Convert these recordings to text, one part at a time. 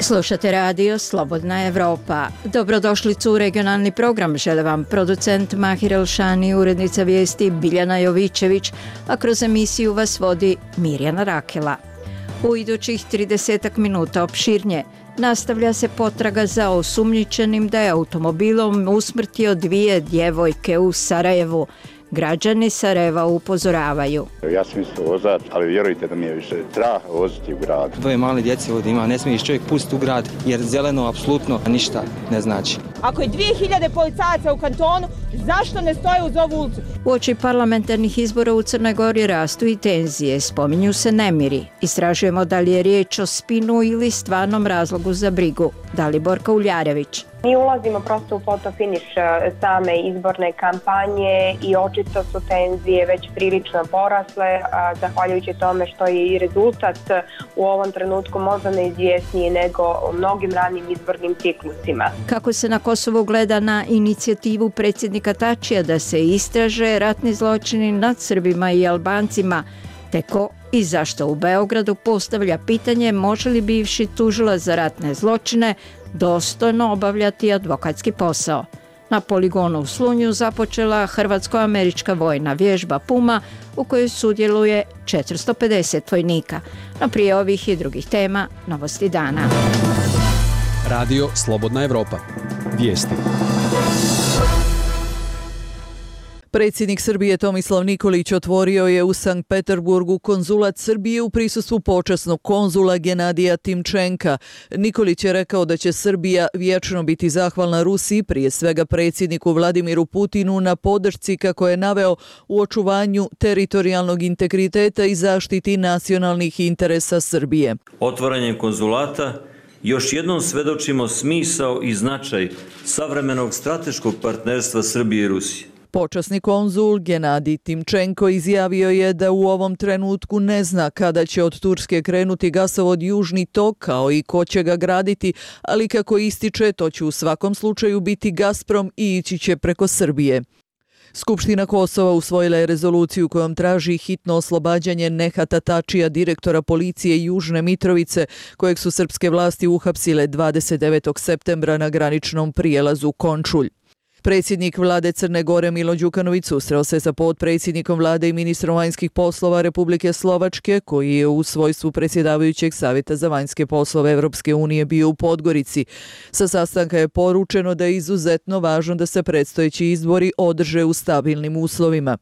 Slušate radio Slobodna Evropa. Dobrodošlicu u regionalni program. Žele vam producent Mahir Elšani, urednica vijesti Biljana Jovićević, a kroz emisiju vas vodi Mirjana Rakela. U idućih 30 minuta opširnje nastavlja se potraga za osumnjičenim da je automobilom usmrtio 2 djevojke u Sarajevu. Građani Sarajeva upozoravaju. Ja sam isto vozač, ali vjerujte da mi je više strah voziti u grad. 2 male djece ovdje ima, ne smiješ čovjek pustiti u grad jer zeleno apsolutno ništa ne znači. Ako je 2000 policajaca u kantonu, zašto ne stoje uz ovu ulicu? Uoči parlamentarnih izbora u Crnoj Gori rastu i tenzije, spominju se nemiri. Istražujemo da li je riječ o spinu ili stvarnom razlogu za brigu. Daliborka Uljarević. Mi ulazimo prosto u fotofiniš same izborne kampanje i očito su tenzije već prilično porasle, zahvaljujući tome što je i rezultat u ovom trenutku možda neizvjesniji nego u mnogim ranim izbornim ciklusima. Kako se na Kosovu gleda na inicijativu predsjednika Tačija da se istraže ratni zločini nad Srbima i Albancima, te ko i zašto u Beogradu postavlja pitanje može li bivši tužilac za ratne zločine dostojno obavljati advokatski posao. Na poligonu u Slunju započela hrvatsko-američka vojna vježba Puma u kojoj sudjeluje 450 vojnika. No prije ovih i drugih tema, novosti dana. Radio Slobodna Evropa. Vijesti. Predsjednik Srbije Tomislav Nikolić otvorio je u Sankt Peterburgu konzulat Srbije u prisustvu počasnog konzula Genadija Timčenka. Nikolić je rekao da će Srbija vječno biti zahvalna Rusiji, prije svega predsjedniku Vladimiru Putinu, na podršci, kako je naveo, u očuvanju teritorijalnog integriteta i zaštiti nacionalnih interesa Srbije. Otvaranjem konzulata još jednom svedočimo smisao i značaj savremenog strateškog partnerstva Srbije i Rusije. Počasni konzul Genadij Timčenko izjavio je da u ovom trenutku ne zna kada će od Turske krenuti gasovod Južni tok, kao i ko će ga graditi, ali kako ističe, to će u svakom slučaju biti Gazprom i ići će preko Srbije. Skupština Kosova usvojila je rezoluciju kojom traži hitno oslobađanje Nehata Tačija, direktora policije Južne Mitrovice, kojeg su srpske vlasti uhapsile 29. septembra na graničnom prijelazu Končulj. Predsjednik vlade Crne Gore Milo Đukanović susreo se sa potpredsjednikom vlade i ministrom vanjskih poslova Republike Slovačke, koji je u svojstvu predsjedavajućeg Savjeta za vanjske poslove Evropske unije bio u Podgorici. Sa sastanka je poručeno da je izuzetno važno da se predstojeći izbori održe u stabilnim uslovima.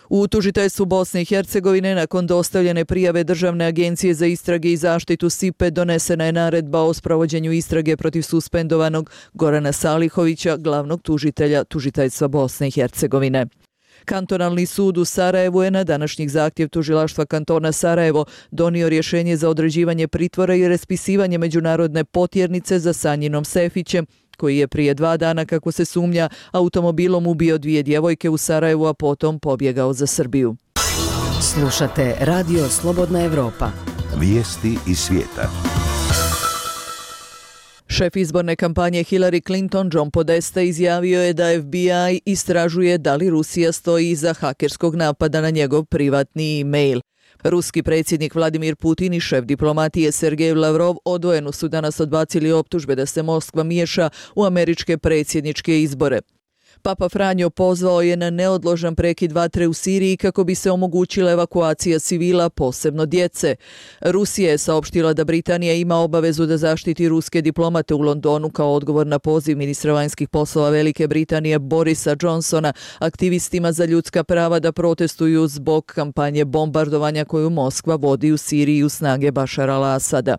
U tužiteljstvu Bosne i Hercegovine nakon dostavljene prijave Državne agencije za istrage i zaštitu SIPE donesena je naredba o sprovođenju istrage protiv suspendovanog Gorana Salihovića, glavnog tužitelja tužiteljstva Bosne i Hercegovine. Kantonalni sud u Sarajevu je na današnji zahtjev tužilaštva kantona Sarajevo donio rješenje za određivanje pritvora i raspisivanje međunarodne potjernice za Sanjinom Sefićem, koji je prije 2 dana, kako se sumnja, automobilom ubio 2 djevojke u Sarajevu, a potom pobjegao za Srbiju. Slušate radio Slobodna Evropa. Vijesti iz svijeta. Šef izborne kampanje Hillary Clinton, John Podesta, izjavio je da FBI istražuje da li Rusija stoji iza hakerskog napada na njegov privatni e-mail. Ruski predsjednik Vladimir Putin i šef diplomatije Sergej Lavrov odvojeno su danas odbacili optužbe da se Moskva miješa u američke predsjedničke izbore. Papa Franjo pozvao je na neodložan prekid vatre u Siriji kako bi se omogućila evakuacija civila, posebno djece. Rusija je saopštila da Britanija ima obavezu da zaštiti ruske diplomate u Londonu kao odgovor na poziv ministra vanjskih poslova Velike Britanije Borisa Johnsona aktivistima za ljudska prava da protestuju zbog kampanje bombardovanja koju Moskva vodi u Siriji u snage Bašara al-Asada.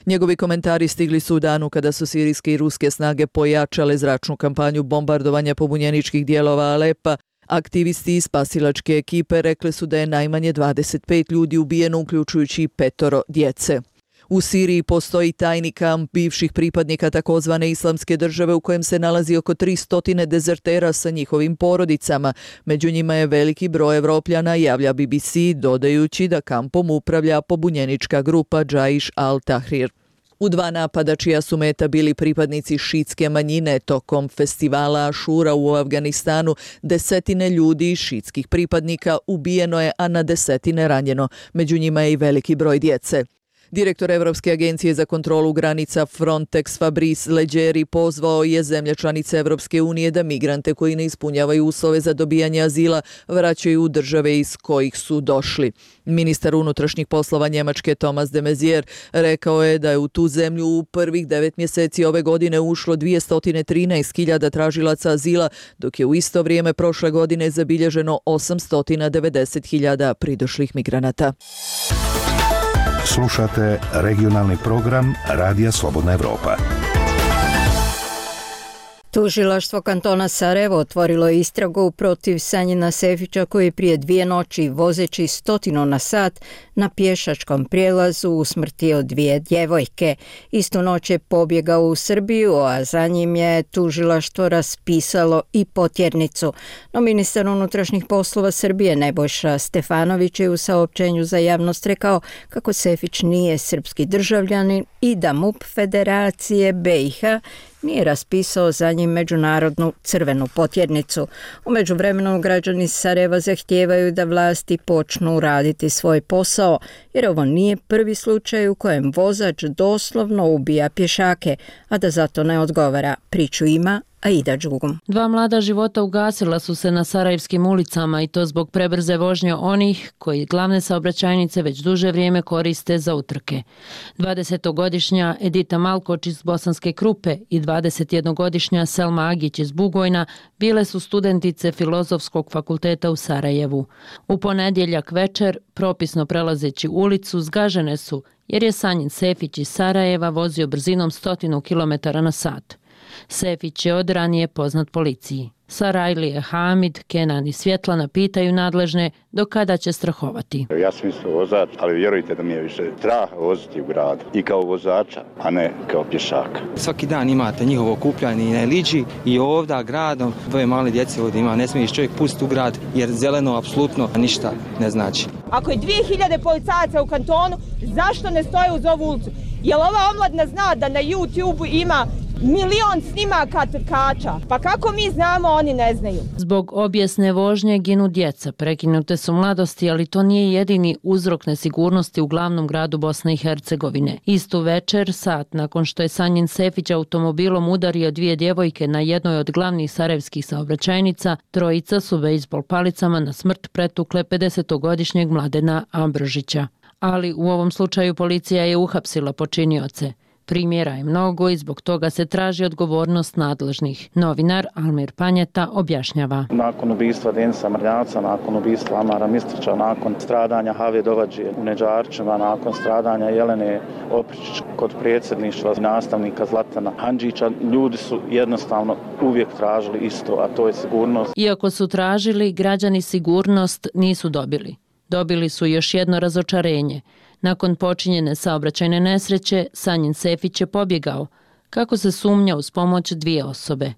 Njegovi komentari stigli su u danu kada su sirijske i ruske snage pojačale zračnu kampanju bombardovanja pobunjeničkih dijelova Alepa. Aktivisti iz spasilačke ekipe rekli su da je najmanje 25 ljudi ubijeno, uključujući 5 djece. U Siriji postoji tajni kamp bivših pripadnika takozvane Islamske države u kojem se nalazi oko 300 dezertera sa njihovim porodicama. Među njima je veliki broj Evropljana, javlja BBC, dodajući da kampom upravlja pobunjenička grupa Džaiš al-Tahrir. U 2 napada čija su meta bili pripadnici šiitske manjine tokom festivala Ašura u Afganistanu, 10 ljudi šiitskih pripadnika ubijeno je, a na 10 ranjeno. Među njima je i veliki broj djece. Direktor Evropske agencije za kontrolu granica Frontex Fabrice Leggeri pozvao je zemlje članice Evropske unije da migrante koji ne ispunjavaju uslove za dobijanje azila vraćaju u države iz kojih su došli. Ministar unutrašnjih poslova Njemačke Thomas de Maizière rekao je da je u tu zemlju u prvih 9 mjeseci ove godine ušlo 213.000 tražilaca azila, dok je u isto vrijeme prošle godine zabilježeno 890.000 pridošlih migranata. Slušate regionalni program Radija Slobodna Evropa. Tužilaštvo kantona Sarajevo otvorilo je istragu protiv Sanjina Sefića koji je prije 2 noći vozeći 100 na sat na pješačkom prijelazu usmrtio 2 djevojke. Istu noć je pobjegao u Srbiju, a za njim je tužilaštvo raspisalo i potjernicu. No ministar unutrašnjih poslova Srbije Nebojša Stefanović je u saopćenju za javnost rekao kako Sefić nije srpski državljanin i da MUP Federacije BiH nije raspisao za njim međunarodnu crvenu potjernicu. U međuvremenu građani Sarajeva zahtijevaju da vlasti počnu raditi svoj posao, jer ovo nije prvi slučaj u kojem vozač doslovno ubija pješake, a da zato ne odgovara. Priču ima Aida Đugum. 2 mlada života ugasila su se na sarajevskim ulicama i to zbog prebrze vožnje onih koji glavne saobraćajnice već duže vrijeme koriste za utrke. 20-godišnja Edita Malkoč iz Bosanske Krupe i 21-godišnja Selma Agić iz Bugojna bile su studentice Filozofskog fakulteta u Sarajevu. U ponedjeljak večer, propisno prelazeći ulicu, zgažene su jer je Sanjin Sefić iz Sarajeva vozio brzinom 100 km na sat. Sefić je od ranije poznat policiji. Sarajlije, Hamid, Kenan i Svjetlana pitaju nadležne do kada će strahovati. Ja sam isto vozač, ali vjerujte da mi je više strah voziti u gradu i kao vozača, a ne kao pješaka. Svaki dan imate njihovo okupljanje i na Liđi i ovdje gradom. 2 male djece ovdje ima, ne smiješ čovjek pustiti u grad jer zeleno apsolutno ništa ne znači. Ako je 2000 policajaca u kantonu, zašto ne stoje uz ovu ulicu? Jel ova omladina zna da na YouTube ima 1 milion snimaka trkača? Pa kako mi znamo, oni ne znaju? Zbog obijesne vožnje ginu djeca, prekinute su mladosti, ali to nije jedini uzrok nesigurnosti u glavnom gradu Bosne i Hercegovine. Istu večer, sat nakon što je Sanjin Sefić automobilom udario 2 djevojke na jednoj od glavnih sarajevskih saobraćajnica, trojica su bejzbol palicama na smrt pretukle 50-godišnjeg Mladena Ambrožića. Ali u ovom slučaju policija je uhapsila počinioce. Primjera je mnogo i zbog toga se traži odgovornost nadležnih. Novinar Almir Panjeta objašnjava. Nakon ubistva Denisa Mrljavca, nakon ubistva Amara Mistrića, nakon stradanja Have Dovađije u Neđarčima, nakon stradanja Jelene Opričić kod predsjedništva nastavnika Zlatana Handžića, ljudi su jednostavno uvijek tražili isto, a to je sigurnost. Iako su tražili, građani sigurnost nisu dobili. Dobili su još jedno razočarenje. Nakon počinjene saobraćajne nesreće, Sanjin Sefić je pobjegao, kako se sumnja uz pomoć 2 osobe.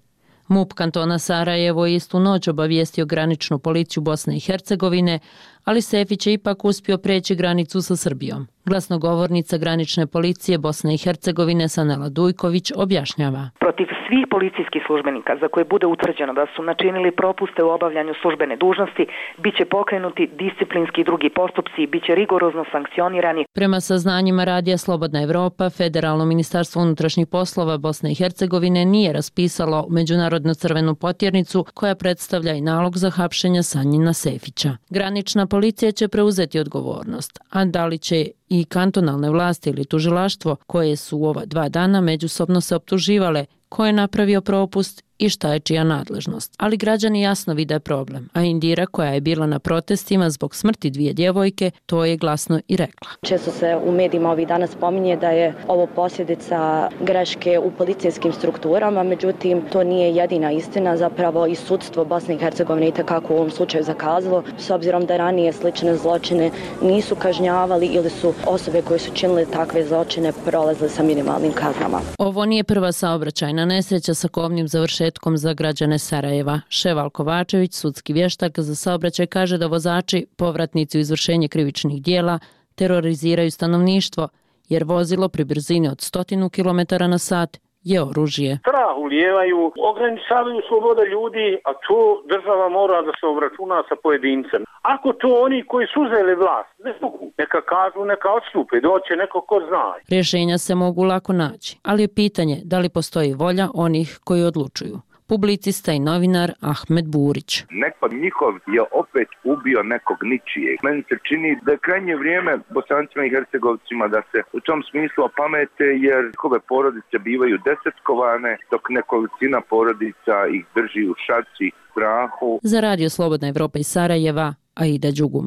MUP kantona Sarajevo je istu noć obavijestio graničnu policiju Bosne i Hercegovine, ali Sefić je ipak uspio preći granicu sa Srbijom. Glasnogovornica granične policije Bosne i Hercegovine Sanela Dujković objašnjava. Protiv svih policijskih službenika za koje bude utvrđeno da su načinili propuste u obavljanju službene dužnosti, bit će pokrenuti disciplinski i drugi postupci i bit će rigorozno sankcionirani. Prema saznanjima Radija Slobodna Evropa, Federalno ministarstvo unutrašnjih poslova Bosne i Hercegovine nije raspisalo međunarodnu crvenu potjernicu koja predstavlja i nalog za hapšenje Sanjina Sefića. Granična policija će preuzeti odgovornost, a da li će i kantonalne vlasti ili tužilaštvo koje su u ova 2 dana međusobno se optuživale ko je napravio propust i šta je čija nadležnost. Ali građani jasno vide problem, a Indira koja je bila na protestima zbog smrti 2 djevojke, to je glasno i rekla. Često se u medijima ovih dana spominje da je ovo posljedica greške u policijskim strukturama, međutim to nije jedina istina, zapravo i sudstvo Bosne i Hercegovine i takako u ovom slučaju zakazalo, s obzirom da ranije slične zločine nisu kažnjavali ili su osobe koje su činile takve zločine prolazile sa minimalnim kaznama. Ovo nije prva saobraćajna nesreća sa kobnim završetkom za građane Sarajeva. Ševal Kovačević, sudski vještak za saobraćaj, kaže da vozači, povratnici u izvršenje krivičnih dijela, teroriziraju stanovništvo, jer vozilo pri brzini od 100 km na sat je oružje. Strah strah ulijevaju, ograničavaju sloboda ljudi, a to država mora da se obračuna sa pojedincem. Ako to oni koji su uzeli vlast ne mogu, neka kažu, neka odstupe, doće neko ko zna. Rješenja se mogu lako naći, ali je pitanje da li postoji volja onih koji odlučuju. Publicista i novinar Ahmed Burić. Neko njihov je opet ubio nekog ničijeg. Meni se čini da je krajnje vrijeme Bosancima i Hercegovcima da se u tom smislu opamete, jer njihove porodice bivaju desetkovane, dok nekolicina porodica ih drži u šaci, strahu. Za Radio Slobodna Evropa iz Sarajeva, Aida Đugum.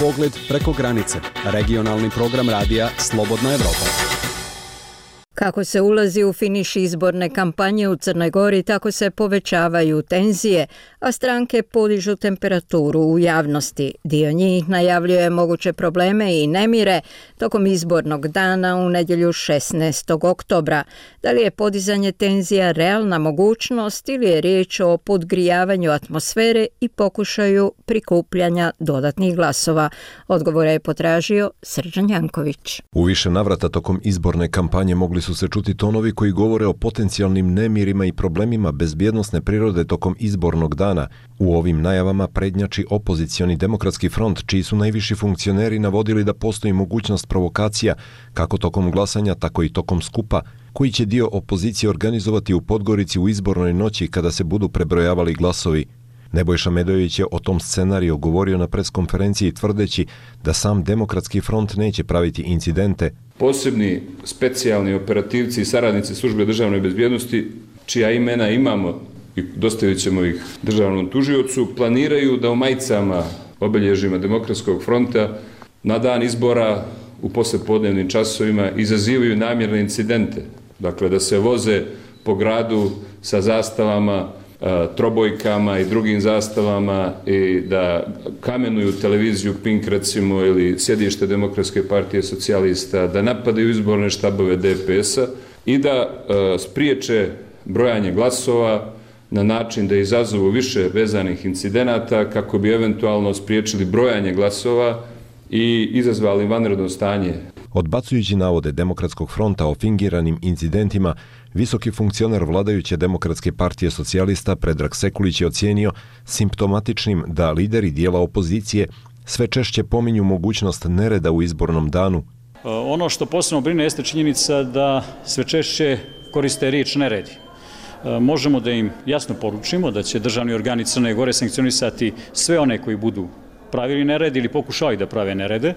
Pogled preko granice. Regionalni program radija Slobodna Evropa. Kako se ulazi u finiš izborne kampanje u Crnoj Gori, tako se povećavaju tenzije, a stranke podižu temperaturu u javnosti. Dio njih najavljuje moguće probleme i nemire tokom izbornog dana u nedjelju 16. oktobra. Da li je podizanje tenzija realna mogućnost ili je riječ o podgrijavanju atmosfere i pokušaju prikupljanja dodatnih glasova? Odgovore je potražio Srđan Janković. U više navrata tokom izborne kampanje mogli su se čuti tonovi koji govore o potencijalnim nemirima i problemima bezbjednosne prirode tokom izbornog dana. U ovim najavama prednjači opozicioni Demokratski front, čiji su najviši funkcioneri navodili da postoji mogućnost provokacija, kako tokom glasanja, tako i tokom skupa, koji će dio opozicije organizovati u Podgorici u izbornoj noći kada se budu prebrojavali glasovi. Nebojša Medojević je o tom scenariju govorio na preskonferenciji tvrdeći da sam Demokratski front neće praviti incidente. Posebni specijalni operativci i saradnici službe državne bezbjednosti, čija imena imamo i dostavit ćemo ih državnom tužiocu, planiraju da u majicama obilježjima Demokratskog fronta na dan izbora u poslijepodnevnim časovima izazivaju namjerne incidente. Dakle, da se voze po gradu sa zastavama, trobojkama i drugim zastavama i da kamenuju televiziju Pink recimo ili sjedište Demokratske partije socijalista, da napadaju izborne štabove DPS-a i da spriječe brojanje glasova na način da izazovu više vezanih incidenata kako bi eventualno spriječili brojanje glasova i izazvali vanredno stanje. Odbacujući navode Demokratskog fronta o fingiranim incidentima, visoki funkcioner vladajuće Demokratske partije socijalista Predrag Sekulić je ocijenio simptomatičnim da lideri dijela opozicije sve češće pominju mogućnost nereda u izbornom danu. Ono što posebno brine jeste činjenica da sve češće koriste riječ neredi. Možemo da im jasno poručimo da će državni organi Crne Gore sankcionisati sve one koji budu pravili nered ili pokušali da prave nerede,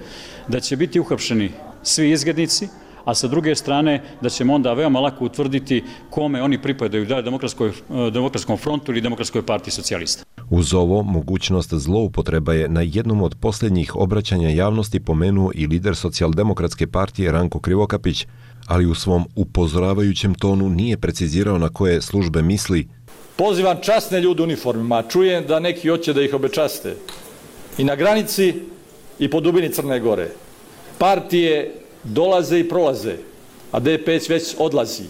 da će biti uhapšeni svi izgrednici, a sa druge strane da ćemo onda veoma lako utvrditi kome oni pripadaju, da li Demokratskom frontu ili Demokratskoj partiji socijalista. Uz ovo, mogućnost zloupotreba je na jednom od posljednjih obraćanja javnosti pomenuo i lider Socijaldemokratske partije Ranko Krivokapić, ali u svom upozoravajućem tonu nije precizirao na koje službe misli. Pozivam časne ljude u uniformima, čujem da neki hoće da ih obečaste. I na granici i po dubini Crne Gore. Partije dolaze i prolaze, a DPS već odlazi.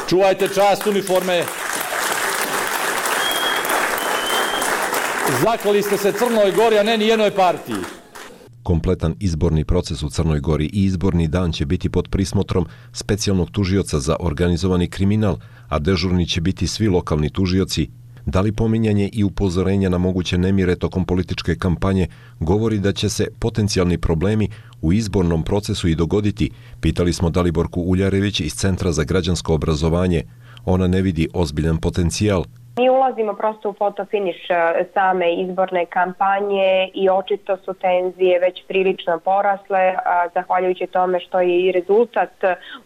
Čuvajte čast uniforme. Zaklali ste se Crnoj Gori, a ne ni jednoj partiji. Kompletan izborni proces u Crnoj Gori i izborni dan će biti pod prismotrom specijalnog tužioca za organizovani kriminal, a dežurni će biti svi lokalni tužioci. Da li pominjanje i upozorenja na moguće nemire tokom političke kampanje govori da će se potencijalni problemi u izbornom procesu i dogoditi? Pitali smo Daliborku Uljarević iz Centra za građansko obrazovanje. Ona ne vidi ozbiljan potencijal. Mi ulazimo prosto u fotofiniš same izborne kampanje i očito su tenzije već prilično porasle, zahvaljujući tome što je i rezultat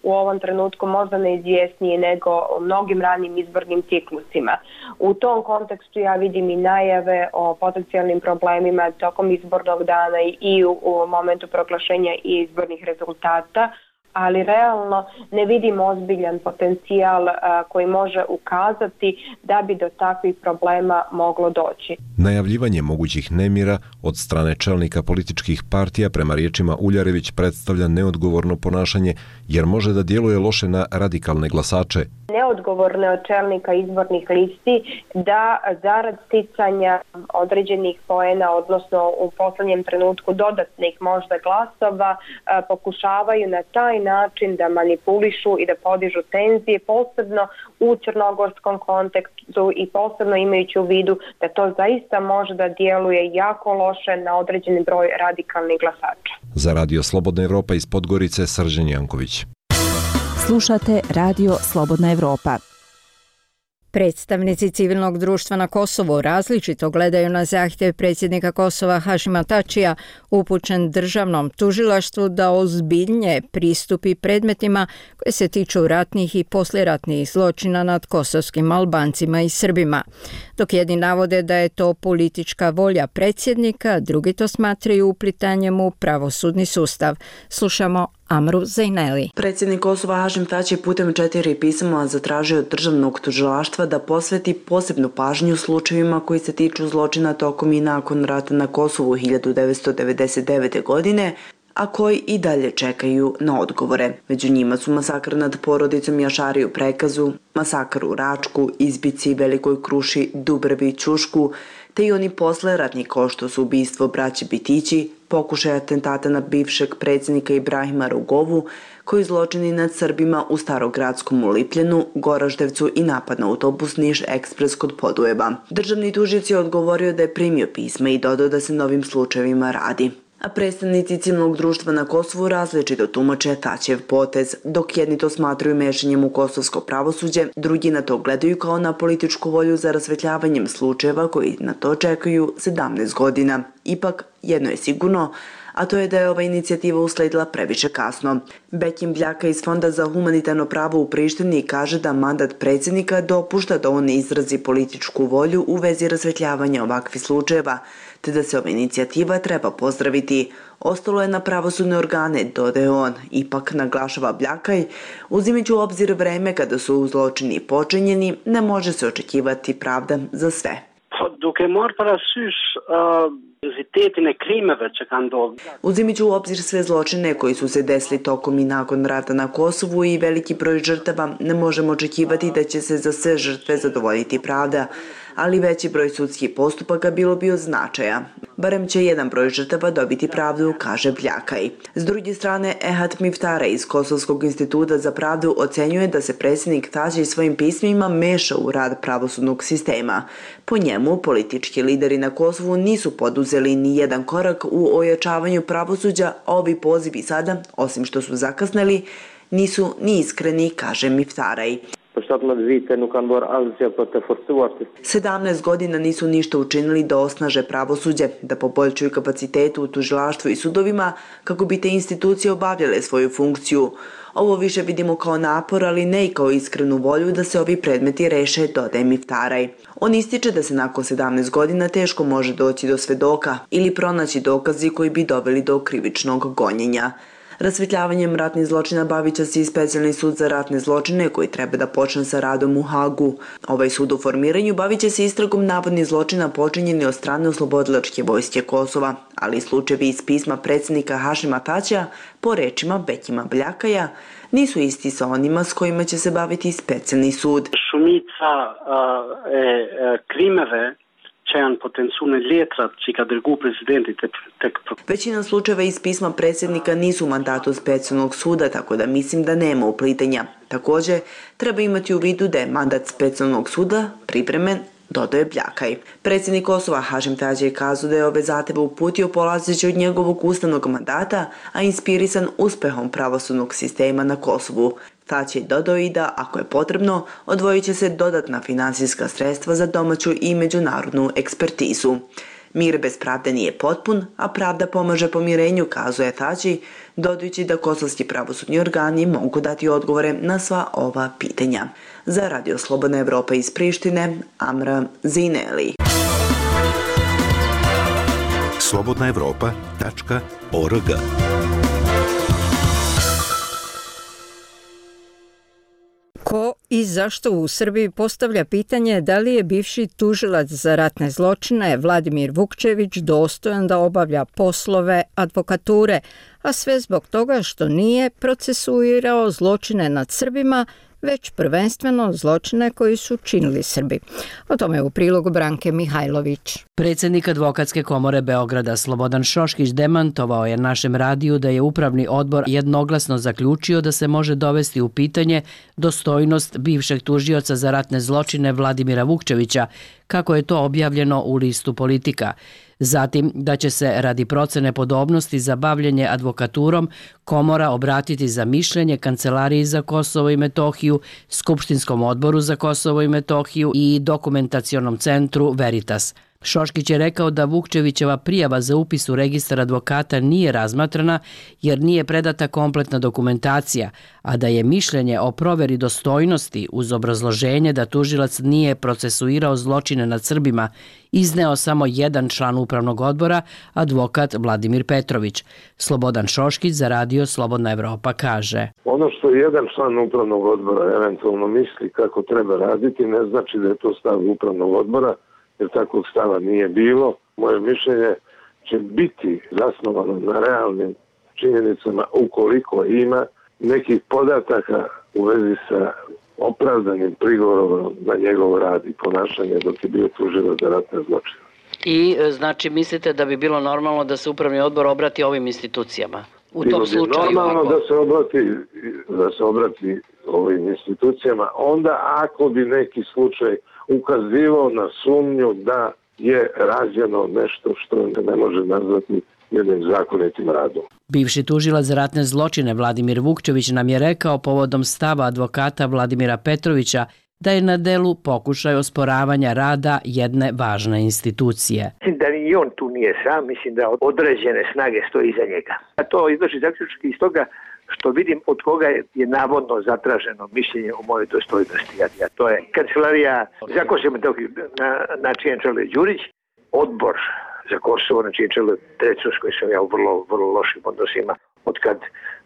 u ovom trenutku možda neizvjesniji nego u mnogim ranim izbornim ciklusima. U tom kontekstu ja vidim i najave o potencijalnim problemima tokom izbornog dana i u momentu proglašenja izbornih rezultata, ali realno ne vidim ozbiljan potencijal koji može ukazati da bi do takvih problema moglo doći. Najavljivanje mogućih nemira od strane čelnika političkih partija prema riječima Uljarević predstavlja neodgovorno ponašanje jer može da djeluje loše na radikalne glasače. Neodgovorno od čelnika izbornih listi da zarad sticanja određenih poena, odnosno u posljednjem trenutku dodatnih možda glasova, pokušavaju na taj način da manipulišu i da podižu tenzije, posebno u crnogorskom kontekstu i posebno imajući u vidu da to zaista može da djeluje jako loše na određeni broj radikalnih glasača. Za Radio Slobodna Evropa iz Podgorice, Srđan Janković. Slušate Radio Slobodna Evropa. Predstavnici civilnog društva na Kosovu različito gledaju na zahtjev predsjednika Kosova Hašima Tačija upućen državnom tužilaštvu da ozbiljnije pristupi predmetima koje se tiču ratnih i poslijeratnih zločina nad kosovskim Albancima i Srbima. Dok jedni navode da je to politička volja predsjednika, drugi to smatraju uplitanjem u pravosudni sustav. Slušamo Amru Zejneli. Predsjednik Kosova Hašim Tači putem 4 pisama zatražio od državnog tužilaštva da posveti posebnu pažnju slučajevima koji se tiču zločina tokom i nakon rata na Kosovu 1999. godine, a koji i dalje čekaju na odgovore. Među njima su masakr nad porodicom Jašari u Prekazu, masakr u Račku, Izbici, Velikoj Kruši, Dubrevi, Ćušku, te i oni posleratni kao što su ubistvo braće Bitići, pokušaj atentata na bivšeg predsjednika Ibrahima Rugovu, koji zločini nad Srbima u Starogradskom u Lipljenu, Goraždevcu i napad na autobus Niš Ekspres kod Podujeva. Državni tužilac je odgovorio da je primio pisma i dodao da se novim slučajevima radi. A predstavnici civilnog društva na Kosovu različito tumače Tačijev potez, dok jedni to smatraju mešanjem u kosovsko pravosuđe, drugi na to gledaju kao na političku volju za rasvetljavanjem slučajeva koji na to čekaju 17 godina. Ipak, jedno je sigurno, a to je da je ova inicijativa usledila previše kasno. Bekim Bljaka iz Fonda za humanitarno pravo u Prištini kaže da mandat predsjednika dopušta da on izrazi političku volju u vezi rasvetljavanja ovakvih slučajeva, te da se ova inicijativa treba pozdraviti. Ostalo je na pravosudne organe, dodaje on. Ipak, naglašava Bljakaj, uzimajući u obzir vreme kada su zločini počinjeni, ne može se očekivati pravda za sve. Uzimajući u obzir sve zločine koji su se desili tokom i nakon rata na Kosovu i veliki broj žrtava, ne možemo očekivati da će se za sve žrtve zadovoljiti pravda, ali veći broj sudskih postupaka bilo bi od značaja. Barem će jedan broj žrtava dobiti pravdu, kaže Bljakaj. S druge strane, Ehat Miftara iz Kosovskog instituta za pravdu ocenjuje da se predsjednik Tači svojim pismima meša u rad pravosudnog sistema. Po njemu, politički lideri na Kosovu nisu poduzeli ni jedan korak u ojačavanju pravosuđa, a ovi pozivi sada, osim što su zakasnili, nisu ni iskreni, kaže Miftaraj. 17 godina nisu ništa učinili da osnaže pravosuđe, da poboljšaju kapacitetu u tužilaštvu i sudovima kako bi te institucije obavljale svoju funkciju. Ovo više vidimo kao napor, ali ne i kao iskrenu volju da se ovi predmeti reše, dodaje Miftaraj. On ističe da se nakon 17 godina teško može doći do svedoka ili pronaći dokazi koji bi doveli do krivičnog gonjenja. Rasvetljavanjem ratnih zločina bavit će se i specijalni sud za ratne zločine koji treba da počne sa radom u Hagu. Ovaj sud u formiranju bavit će se istragom navodnih zločina počinjeni od strane oslobodilačke vojske Kosova, ali slučajevi iz pisma predsjednika Hašima Tačija, po rečima Bekima Bljakaja, nisu isti sa onima s kojima će se baviti specijalni sud. Shumica krimeve Većina slučajeva iz pisma predsjednika nisu u mandatu specijalnog suda, tako da mislim da nema uplitanja. Također, treba imati u vidu da je mandat specijalnog suda pripremen, dodaje Bljakaj. Predsjednik Kosova Hašim Tači je kazao da je ove zahtjeve uputio polazeći od njegovog ustavnog mandata, a inspirisan uspehom pravosudnog sistema na Kosovu. Tači je dodao i da, ako je potrebno, odvojit će se dodatna finansijska sredstva za domaću i međunarodnu ekspertizu. Mir bez pravde nije potpun, a pravda pomaže pomirenju, kazuje Tači, dodajući da kosovski pravosudni organi mogu dati odgovore na sva ova pitanja. Za Radio Slobodna Evropa iz Prištine, Amra Zineli. slobodnaevropa.org. Ko i zašto u Srbiji postavlja pitanje da li je bivši tužilac za ratne zločine Vladimir Vukčević dostojan da obavlja poslove advokature, a sve zbog toga što nije procesuirao zločine nad Srbima, već prvenstveno zločine koji su činili Srbi. O tome je u prilogu Branke Mihajlović. Predsjednik Advokatske komore Beograda Slobodan Šoškić demantovao je našem radiju da je upravni odbor jednoglasno zaključio da se može dovesti u pitanje dostojnost bivšeg tužioca za ratne zločine Vladimira Vukčevića, kako je to objavljeno u listu Politika. Zatim da će se radi procene podobnosti za bavljenje advokaturom komora obratiti za mišljenje Kancelariji za Kosovo i Metohiju, Skupštinskom odboru za Kosovo i Metohiju i Dokumentacionom centru Veritas. Šoškić je rekao da Vukčevićeva prijava za upis u registar advokata nije razmatrana jer nije predata kompletna dokumentacija, a da je mišljenje o proveri dostojnosti uz obrazloženje da tužilac nije procesuirao zločine nad Srbima izneo samo jedan član upravnog odbora, advokat Vladimir Petrović. Slobodan Šoškić za radio Slobodna Evropa kaže: Ono što jedan član upravnog odbora eventualno misli kako treba raditi ne znači da je to stav upravnog odbora, jer takvog stava nije bilo. Moje mišljenje će biti zasnovano na realnim činjenicama ukoliko ima nekih podataka u vezi sa opravdanim prigovorom na njegov rad i ponašanje dok je bio tužilac za ratne zločine. I znači mislite da bi bilo normalno da se upravni odbor obrati ovim institucijama? U tom slučaju normalno da se obrati ovim institucijama, onda ako bi neki slučaj ukazivao na sumnju da je rađeno nešto što ne može nazvati jednim zakonitim radom. Bivši tužilac za ratne zločine Vladimir Vukčević nam je rekao povodom stava advokata Vladimira Petrovića da je na delu pokušaj osporavanja rada jedne važne institucije. Mislim da ni on tu nije sam, mislim da određene snage stoji iza njega. A to izlači zaključki iz toga što vidim od koga je navodno zatraženo mišljenje o mojoj dostojnosti. A to je Kancelarija za Kosovo i Metohiju, na čijem čelu je Đurić, odbor za Kosovo, na čijem čelu je Drecun, s kojim sam ja u vrlo lošim odnosima, od kad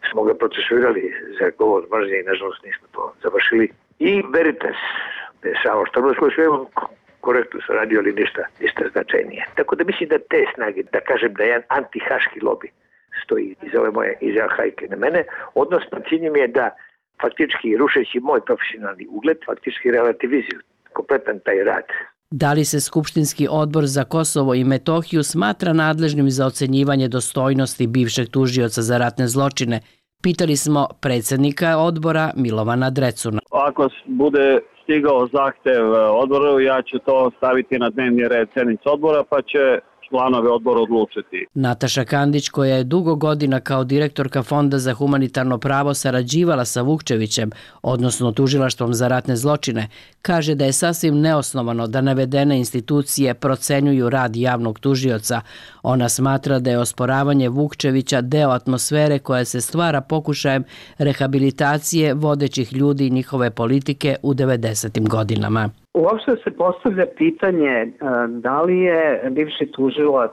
smo ga procesuirali za govor mržnje i nažalost nismo to završili. I Veritas, Savo Štorbac, koji su korektno su radio, ali ništa značajnije. Tako da mislim da te snage, da kažem da je jedan antihaški lobi stoji iz ove moje hajke na mene, odnosno cilj mi je da faktički rušeći moj profesionalni ugled, faktički relativizuju kompletan taj rad. Da li se Skupštinski odbor za Kosovo i Metohiju smatra nadležnim za ocenjivanje dostojnosti bivšeg tužioca za ratne zločine? Pitali smo predsjednika odbora Milovana Drecuna. Ako bude stigao zahtev odboru, ja ću to staviti na dnevni red sjednice odbora, pa će članovi odbora odlučiti. Nataša Kandić, koja je dugo godina kao direktorka Fonda za humanitarno pravo sarađivala sa Vukčevićem, odnosno tužilaštvom za ratne zločine, kaže da je sasvim neosnovano da navedene institucije procenjuju rad javnog tužioca. Ona smatra da je osporavanje Vukčevića deo atmosfere koja se stvara pokušajem rehabilitacije vodećih ljudi i njihove politike u 90. godinama. Uopšte se postavlja pitanje da li je bivši tužilac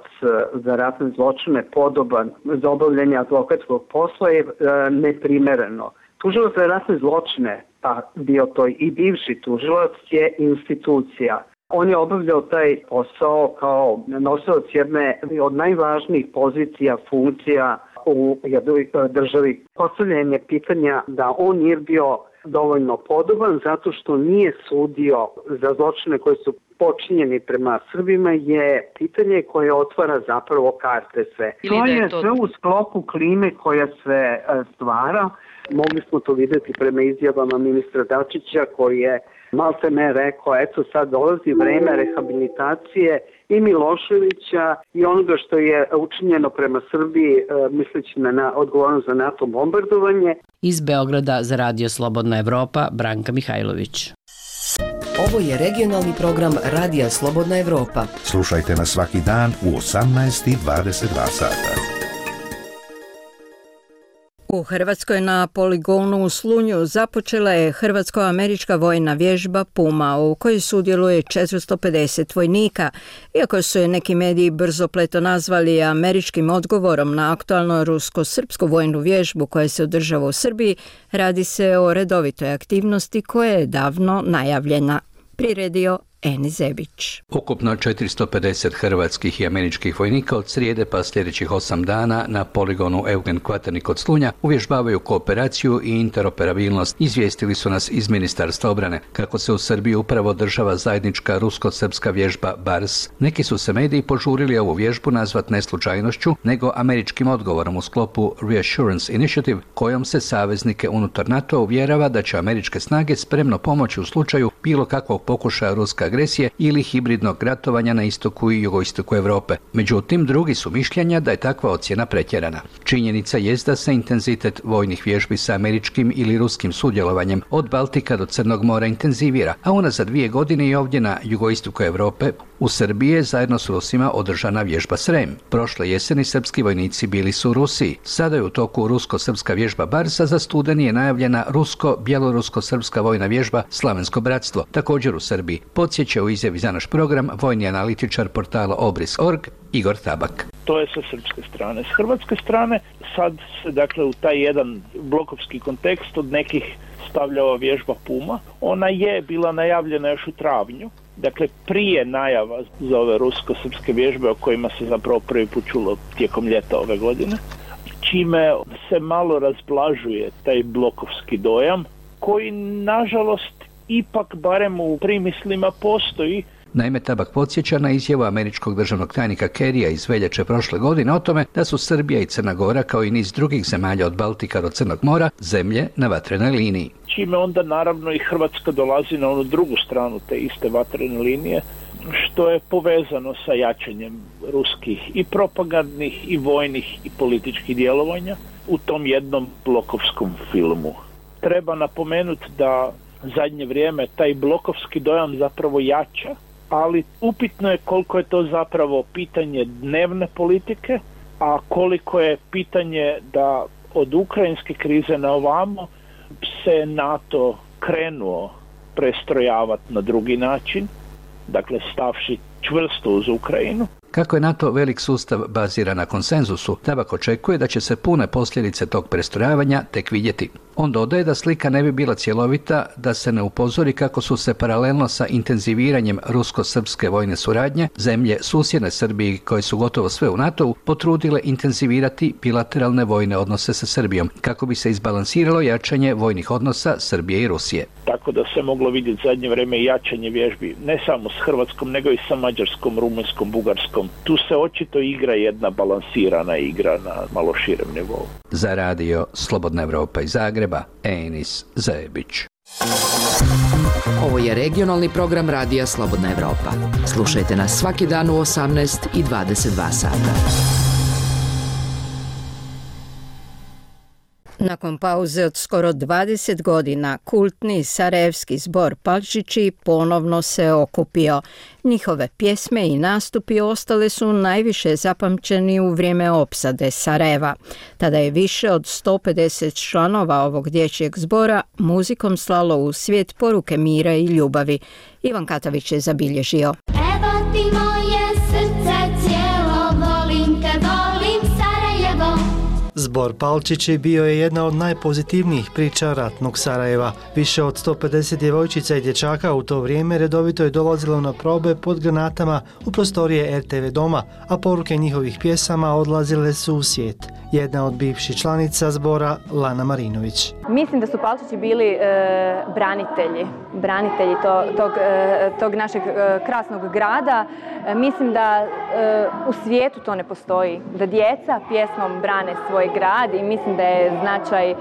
za ratne zločine podoban za obavljanje advokatskog posla je neprimereno. Tužilac za ratne zločine, pa bio to i bivši tužilac, je institucija. On je obavljao taj posao kao nosilac jedne od najvažnijih pozicija, funkcija u jednoj državi. Postavljanje pitanja da on nije bio dovoljno podoban zato što nije sudio za zločine koji su počinjeni prema Srbima je pitanje koje otvara zapravo karte sve. To je sve u sklopu klime koja se stvara. Mogli smo to vidjeti prema izjavama ministra Dačića koji je maltene rekao, eto sad dolazi vreme rehabilitacije i Miloševića i onoga što je učinjeno prema Srbiji, misleći na odgovornost za NATO bombardovanje. Iz Beograda za radio Slobodna Evropa, Branka Mihajlović. Ovo je regionalni program Radija Slobodna Evropa. Slušajte nas svaki dan u 18:22 sata. U Hrvatskoj na poligonu u Slunju započela je hrvatsko-američka vojna vježba Puma u kojoj sudjeluje 450 vojnika. Iako su je neki mediji brzopleto nazvali američkim odgovorom na aktualno rusko-srpsku vojnu vježbu koja se održava u Srbiji, radi se o redovitoj aktivnosti koja je davno najavljena. Priredio Eni Zebić. Ukupno 450 hrvatskih i američkih vojnika od srijede pa sljedećih 8 dana na poligonu Eugen Kvaternik kod Slunja uvježbavaju kooperaciju i interoperabilnost, izvijestili su nas iz Ministarstva obrane. Kako se u Srbiji upravo održava zajednička rusko-srpska vježba BARS, neki su se mediji požurili ovu vježbu nazvat ne slučajnošću, nego američkim odgovorom u sklopu Reassurance Initiative, kojom se saveznike unutar NATO uvjerava da će američke snage spremno pomoći u slučaju bilo kakvog pokušaja ruske agresije ili hibridnog ratovanja na istoku i jugoistoku Europe. Međutim, drugi su mišljenja da je takva ocjena pretjerana. Činjenica jest da se intenzitet vojnih vježbi sa američkim ili ruskim sudjelovanjem od Baltika do Crnog mora intenzivira, a unazad 2 godine i ovdje na jugoistoku Europe u Srbiji je zajedno s Rusima održana vježba Srem. Prošle jeseni srpski vojnici bili su u Rusiji. Sada je u toku rusko-srpska vježba Barsa, za studeni je najavljena rusko-bjelorusko-srpska vojna vježba Slavensko bratstvo, također u Srbiji. Podsjeća u izjavi za naš program vojni analitičar portala Obris.org Igor Tabak. To je sa srpske strane. S hrvatske strane sad se dakle u taj jedan blokovski kontekst od nekih stavlja ova vježba Puma. Ona je bila najavljena još u travnju. Dakle, prije najava za ove rusko-srpske vježbe o kojima se zapravo prvi put čulo tijekom ljeta ove godine, čime se malo razblažuje taj blokovski dojam, koji nažalost ipak barem u primislima postoji. Naime, Tabak podsjeća na izjavu američkog državnog tajnika Kerrya iz veljače prošle godine o tome da su Srbija i Crna Gora, kao i niz drugih zemalja od Baltika do Crnog mora, zemlje na vatrenoj liniji. Čime onda naravno i Hrvatska dolazi na onu drugu stranu te iste vatrene linije, što je povezano sa jačanjem ruskih i propagandnih i vojnih i političkih djelovanja u tom jednom blokovskom filmu. Treba napomenuti da zadnje vrijeme taj blokovski dojam zapravo jača, ali upitno je koliko je to zapravo pitanje dnevne politike, a koliko je pitanje da od ukrajinske krize na ovamo se NATO krenuo prestrojavati na drugi način, dakle stavši čvrsto uz Ukrajinu. Kako je NATO velik sustav baziran na konsenzusu, Tabak očekuje da će se pune posljedice tog prestrojavanja tek vidjeti. On dodaje da slika ne bi bila cjelovita da se ne upozori kako su se paralelno sa intenziviranjem rusko-srpske vojne suradnje zemlje susjedne Srbiji, koje su gotovo sve u NATO-u, potrudile intenzivirati bilateralne vojne odnose sa Srbijom, kako bi se izbalansiralo jačanje vojnih odnosa Srbije i Rusije. Tako da se moglo vidjeti zadnje vrijeme jačanje vježbi ne samo s Hrvatskom, nego i sa Mađarskom, Rumunjskom, Bugarskom. Tu se očito igra jedna balansirana igra na malo širem nivou. Za radio Slobodna Evropa iz Zagreba, Enis Zebić. Ovo je regionalni program radija Slobodna Evropa. Slušajte nas svaki dan u 18 i 22 sata. Nakon pauze od skoro 20 godina, kultni sarajevski zbor Palčići ponovno se okupio. Njihove pjesme i nastupi ostale su najviše zapamćeni u vrijeme opsade Sarajeva. Tada je više od 150 članova ovog dječjeg zbora muzikom slalo u svijet poruke mira i ljubavi. Ivan Katavić je zabilježio. Evo ti moje srce cijelo, volim te, volim Sarajevo. Zbor Palčići bio je jedna od najpozitivnijih priča ratnog Sarajeva. Više od 150 djevojčica i dječaka u to vrijeme redovito je dolazilo na probe pod granatama u prostorije RTV doma, a poruke njihovih pjesama odlazile su u svijet. Jedna od bivših članica zbora, Lana Marinović. Mislim da su Palčići bili branitelji tog našeg krasnog grada. Mislim da u svijetu to ne postoji, da djeca pjesmom brane svoj grad i mislim da je značaj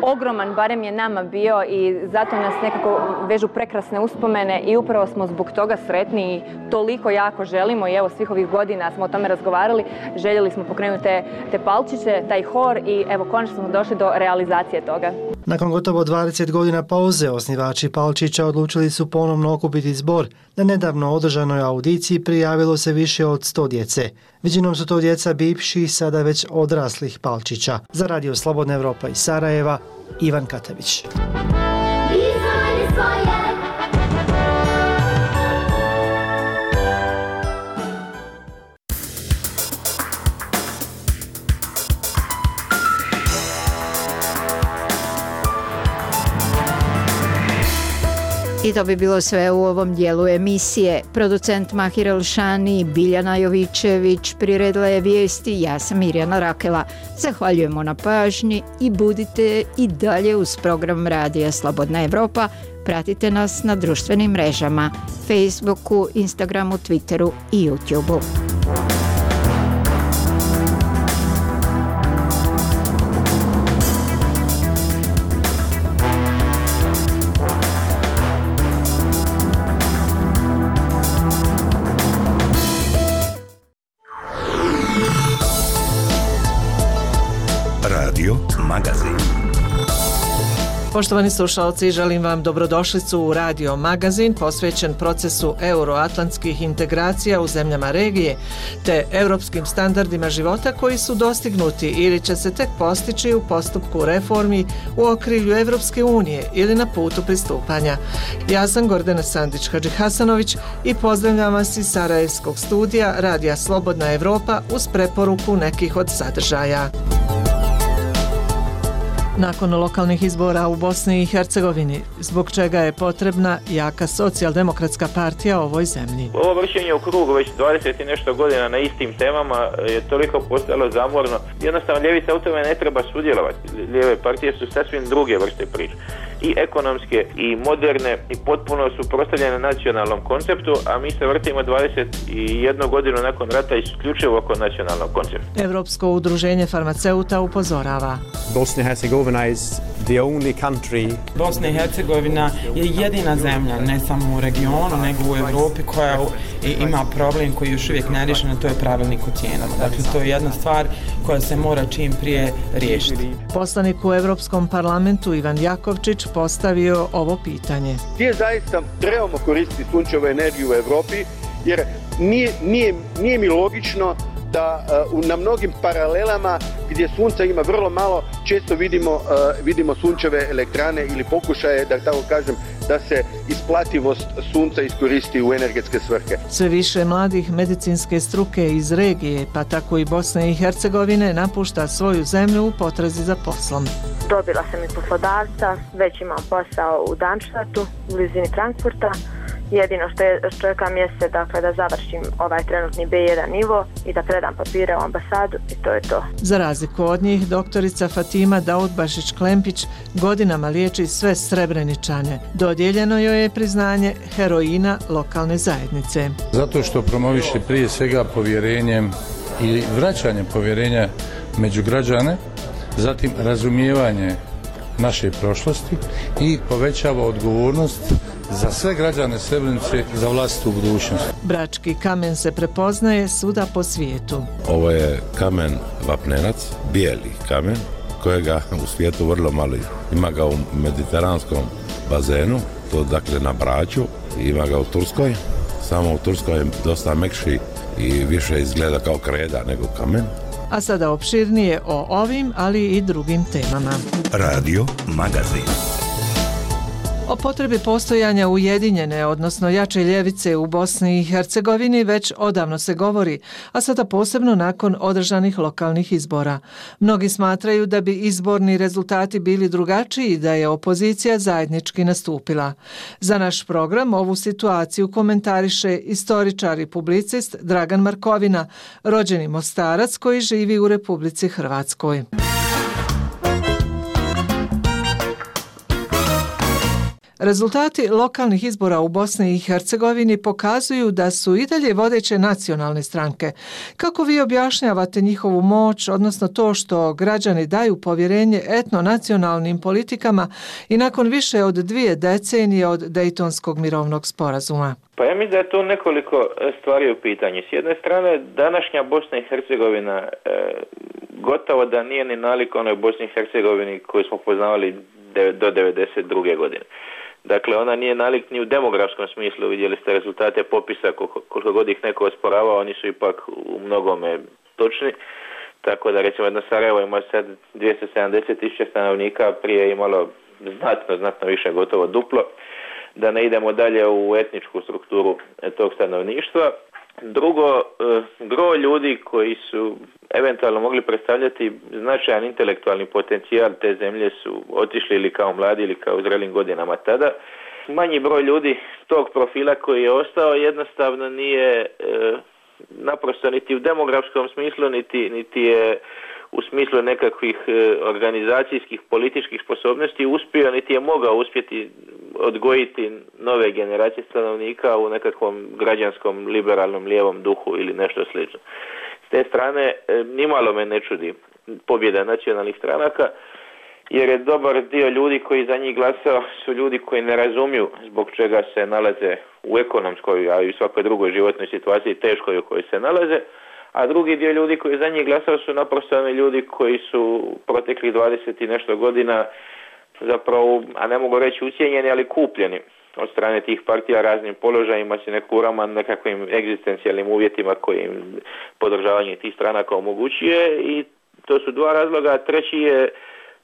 ogroman, barem je nama bio i zato nas nekako vežu prekrasne uspomene i upravo smo zbog toga sretni i toliko jako želimo i evo svih ovih godina smo o tome razgovarali, željeli smo pokrenuti te Palčiće, taj hor i evo konačno smo došli do realizacije toga. Nakon gotovo 20 godina pauze, osnivači Palčića odlučili su ponovno okupiti zbor. Na nedavno održanoj audiciji prijavilo se više od 100 djece. Većinom su to djeca bivših, sada već odraslih Palčića. Za radio Slobodna Evropa iz Sarajeva, Ivan Katavić. I to bi bilo sve u ovom dijelu emisije. Producent Mahir Elšani, Biljana Jovićević priredila je vijesti, ja sam Mirjana Rakela. Zahvaljujemo na pažnji i budite i dalje uz program Radija Slobodna Evropa. Pratite nas na društvenim mrežama, Facebooku, Instagramu, Twitteru i YouTubeu. Radio Magazin. Poštovani slušalci, želim vam dobrodošlicu u Radio Magazin posvećen procesu euroatlantskih integracija u zemljama regije te europskim standardima života koji su dostignuti ili će se tek postići u postupku reformi u okrilju Evropske unije ili na putu pristupanja. Ja sam Gordana Sandić-Hadžihasanović i pozdravljam vas iz Sarajevskog studija Radija Slobodna Evropa uz preporuku nekih od sadržaja. Nakon lokalnih izbora u Bosni i Hercegovini, zbog čega je potrebna jaka socijaldemokratska partija ovoj zemlji. Ovo vršenje u krugu već 20 i nešto godina na istim temama je toliko postalo zamorno. Jednostavno ljevica u tome ne treba sudjelovati. Lijeve partije su sasvim druge vrste priče. I ekonomske, i moderne, i potpuno suprotstavljene nacionalnom konceptu, a mi se vrtimo 21 godinu nakon rata isključivo oko nacionalnog koncepta. Evropsko udruženje farmaceuta upozorava. Bosnia and Herzegovina is the only country. Bosna i Hercegovina je jedina zemlja, ne samo u regionu, nego u Evropi koja ima problem koji je još uvijek neriješen, to je pravilnik o cijenama. Dakle, to je jedna stvar koja se mora čim prije riješiti. Poslanik u Evropskom parlamentu Ivan Jakovčić postavio ovo pitanje. Gdje zaista trebamo koristiti sunčevu energiju u Evropi, jer nije mi logično da na mnogim paralelama gdje sunca ima vrlo malo, često vidimo sunčeve elektrane ili pokušaje, da tako kažem, da se isplativost sunca iskoristi u energetske svrhe. Sve više mladih medicinske struke iz regije, pa tako i Bosne i Hercegovine, napušta svoju zemlju u potrazi za poslom. Dobila sam i poslodavca, već imam posao u Darmstadtu, u blizini Frankfurta. Jedino što čekam jeste dakle, da završim ovaj trenutni B1 nivo i da predam papire u ambasadu i to je to. Za razliku od njih, doktorica Fatima Daudbašić-Klempić godinama liječi sve Srebreničane. Dodijeljeno joj je priznanje heroina lokalne zajednice. Zato što promoviše prije svega povjerenjem i vraćanje povjerenja među građane, zatim razumijevanje naše prošlosti i povećava odgovornost za sve građane Srebrenice za vlastitu budućnost. Brački kamen se prepoznaje svuda po svijetu. Ovo je kamen vapnenac, bijeli kamen, kojega u svijetu vrlo malo ima ga u mediteranskom bazenu, to dakle na Braču, ima ga u Turskoj, samo u Turskoj je dosta mekši i više izgleda kao kreda nego kamen. A sada opširnije o ovim, ali i drugim temama. Radio Magazin. O potrebi postojanja ujedinjene, odnosno jače ljevice u Bosni i Hercegovini već odavno se govori, a sada posebno nakon održanih lokalnih izbora. Mnogi smatraju da bi izborni rezultati bili drugačiji da je opozicija zajednički nastupila. Za naš program ovu situaciju komentariše istoričar i publicist Dragan Markovina, rođeni Mostarac koji živi u Republici Hrvatskoj. Rezultati lokalnih izbora u Bosni i Hercegovini pokazuju da su i dalje vodeće nacionalne stranke. Kako vi objašnjavate njihovu moć, odnosno to što građani daju povjerenje etnonacionalnim politikama i nakon više od 2 decenije od Dejtonskog mirovnog sporazuma? Pa ja mislim da je to nekoliko stvari u pitanju. S jedne strane, današnja Bosna i Hercegovina gotovo da nije ni nalik onoj Bosni i Hercegovini koju smo poznavali do 1992. godine. Dakle, ona nije nalik ni u demografskom smislu, vidjeli ste rezultate popisa, koliko god ih neko osporavao, oni su ipak u mnogome točni. Tako da recimo jedno Sarajevo ima sad 270.000 stanovnika, prije je imalo znatno više, gotovo duplo. Da ne idemo dalje u etničku strukturu tog stanovništva. Drugo, gro ljudi koji su eventualno mogli predstavljati značajan intelektualni potencijal te zemlje su otišli ili kao mladi ili kao u zrelim godinama tada. manji broj ljudi tog profila koji je ostao jednostavno nije naprosto niti u demografskom smislu, niti je u smislu nekakvih organizacijskih, političkih sposobnosti uspio, niti je mogao uspjeti odgojiti nove generacije stanovnika u nekakvom građanskom, liberalnom, lijevom duhu ili nešto slično. S te strane, nimalo me ne čudi pobjeda nacionalnih stranaka, jer je dobar dio ljudi koji za njih glasao su ljudi koji ne razumiju zbog čega se nalaze u ekonomskoj, a i u svakoj drugoj životnoj situaciji teškoj u kojoj se nalaze, a drugi dio ljudi koji za njih glasao su naprosto oni ljudi koji su proteklih 20 i nešto godina zapravo, a ne mogu reći ucijenjeni, ali kupljeni od strane tih partija raznim položajima, se nekurama, nekakvim egzistencijalnim uvjetima koji im podržavanje tih stranaka omogućuje, i to su dva razloga. Treći je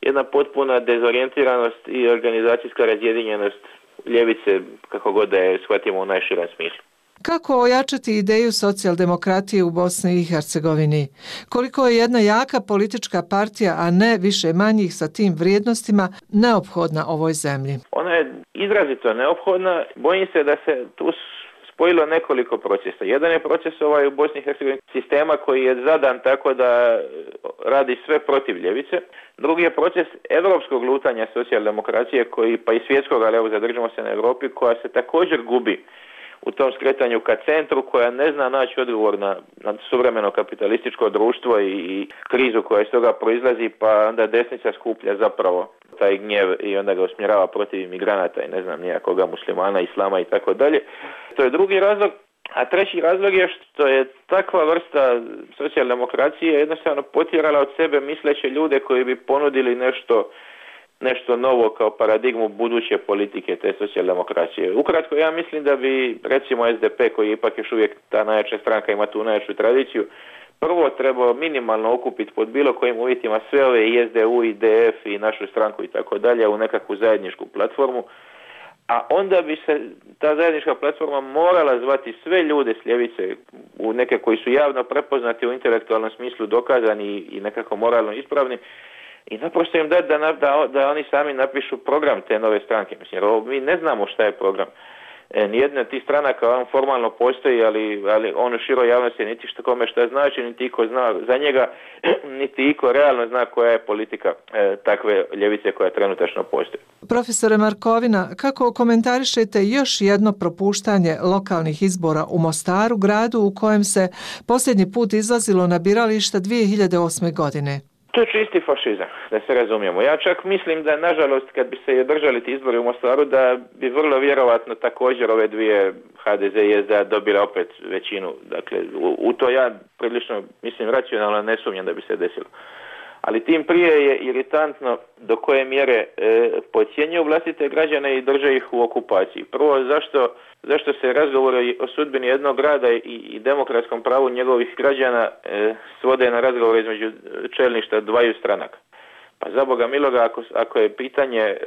jedna potpuna dezorijentiranost i organizacijska razjedinjenost ljevice, kako god da je shvatimo u najširem smislu. Kako ojačati ideju socijaldemokratije u Bosni i Hercegovini? Koliko je jedna jaka politička partija, a ne više manjih sa tim vrijednostima, neophodna ovoj zemlji? Ona je izrazito neophodna. Bojim se da se tu spojilo nekoliko procesa. Jedan je proces u Bosni i Hercegovini sistema koji je zadan tako da radi sve protiv ljevice. Drugi je proces evropskog lutanja socijaldemokracije koji, pa i svjetskog, ali evo zadržimo se na Europi, koja se također gubi u tom skretanju ka centru, koja ne zna naći odgovor na suvremeno kapitalističko društvo i krizu koja iz toga proizlazi, pa onda desnica skuplja zapravo taj gnjev i onda ga usmjerava protiv imigranata i ne znam nijakoga muslimana, islama i tako dalje. To je drugi razlog. A treći razlog je što je takva vrsta socijaldemokracije jednostavno potjerala od sebe misleće ljude koji bi ponudili nešto novo kao paradigmu buduće politike te socijaldemokracije. Ukratko, ja mislim da bi, recimo, SDP, koji ipak još uvijek ta najjača stranka, ima tu najjaču tradiciju, prvo trebao minimalno okupiti pod bilo kojim uvjetima sve ove i SDU, i DF, i našu stranku i tako dalje u nekakvu zajedničku platformu, a onda bi se ta zajednička platforma morala zvati sve ljude s ljevice, u neke koji su javno prepoznati u intelektualnom smislu, dokazani i nekako moralno ispravni, i naprosto im dati da oni sami napišu program te nove stranke. Mislim, jer mi ne znamo šta je program. Nijedna od tih stranaka on formalno postoji, ali on u široj javnosti niti što kome šta znači, niti iko zna za njega, niti iko realno zna koja je politika takve ljevice koja trenutačno postoji. Profesore Markovina, kako komentarišete još jedno propuštanje lokalnih izbora u Mostaru, gradu u kojem se posljednji put izlazilo na birališta 2008. godine? To je čisti fašizam, da se razumijemo. Ja čak mislim da, nažalost, kad bi se održali ti izbori u Mostaru, da bi vrlo vjerovatno također ove dvije, HDZ i SDA, dobile opet većinu. Dakle, u to ja prilično, mislim, racionalno ne sumnjam da bi se desilo. Ali tim prije je iritantno do koje mjere podcjenjuju vlastite građane i drže ih u okupaciji. Prvo, zašto se razgovori o sudbini jednog grada i demokratskom pravu njegovih građana svode na razgovor između čelništva dvaju stranaka. Pa za Boga miloga, ako je pitanje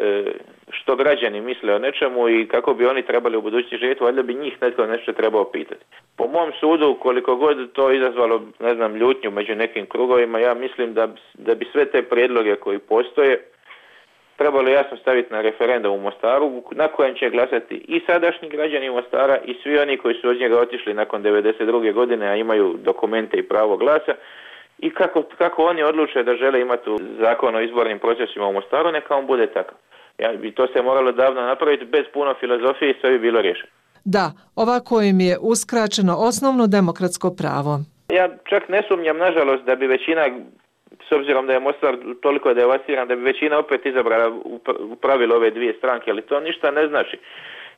što građani misle o nečemu i kako bi oni trebali u budućnosti živjeti, valjda bi njih netko nešto trebao pitati. Po mom sudu, koliko god to izazvalo, ne znam, ljutnju među nekim krugovima, ja mislim da bi sve te prijedloge koji postoje trebalo jasno staviti na referendum u Mostaru, na kojem će glasati i sadašnji građani Mostara i svi oni koji su od njega otišli nakon 1992. godine, a imaju dokumente i pravo glasa. I kako oni odluče da žele imati zakon o izbornim procesima u Mostaru, neka on bude takav. To se moralo davno napraviti, bez puno filozofije, i sve bi bilo riješeno. Da, ovako im je uskraćeno osnovno demokratsko pravo. Ja čak ne sumnjam, nažalost, da bi većina, s obzirom da je Mostar toliko devastiran, da bi većina opet izabrala u pravilu ove dvije stranke, ali to ništa ne znači.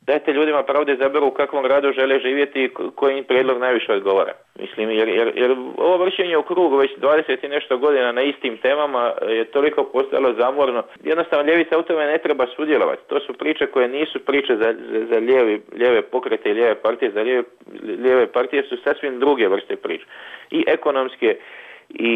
Dajte ljudima pravo da izaberu u kakvom gradu žele živjeti i koji im prijedlog najviše odgovara. Mislim, jer ovo vršenje u krug već 20 i nešto godina na istim temama je toliko postalo zamorno. Jednostavno, ljevica u tome ne treba sudjelovati. To su priče koje nisu priče za lijeve pokrete i lijeve partije. Za lijeve partije su sasvim druge vrste priče. I ekonomske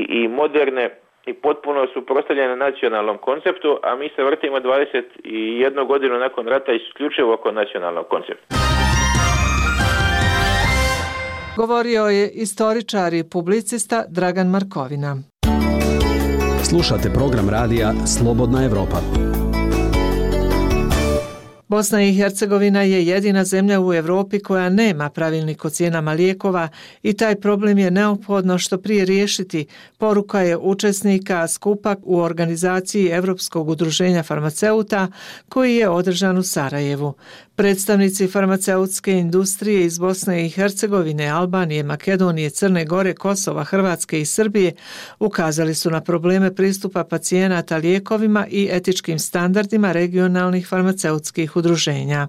i moderne, i potpuno su prostavljene nacionalnom konceptu, a mi se vrtimo 21 godinu nakon rata isključivo oko nacionalnog koncepta. Govorio je istoričar i publicista Dragan Markovina. Slušate program radija Slobodna Evropa. Bosna i Hercegovina je jedina zemlja u Europi koja nema pravilnik o cijenama lijekova i taj problem je neophodno što prije riješiti, poruka je učesnika skupa u organizaciji Europskog udruženja farmaceuta koji je održan u Sarajevu. Predstavnici farmaceutske industrije iz Bosne i Hercegovine, Albanije, Makedonije, Crne Gore, Kosova, Hrvatske i Srbije ukazali su na probleme pristupa pacijenata lijekovima i etičkim standardima regionalnih farmaceutskih udruženja.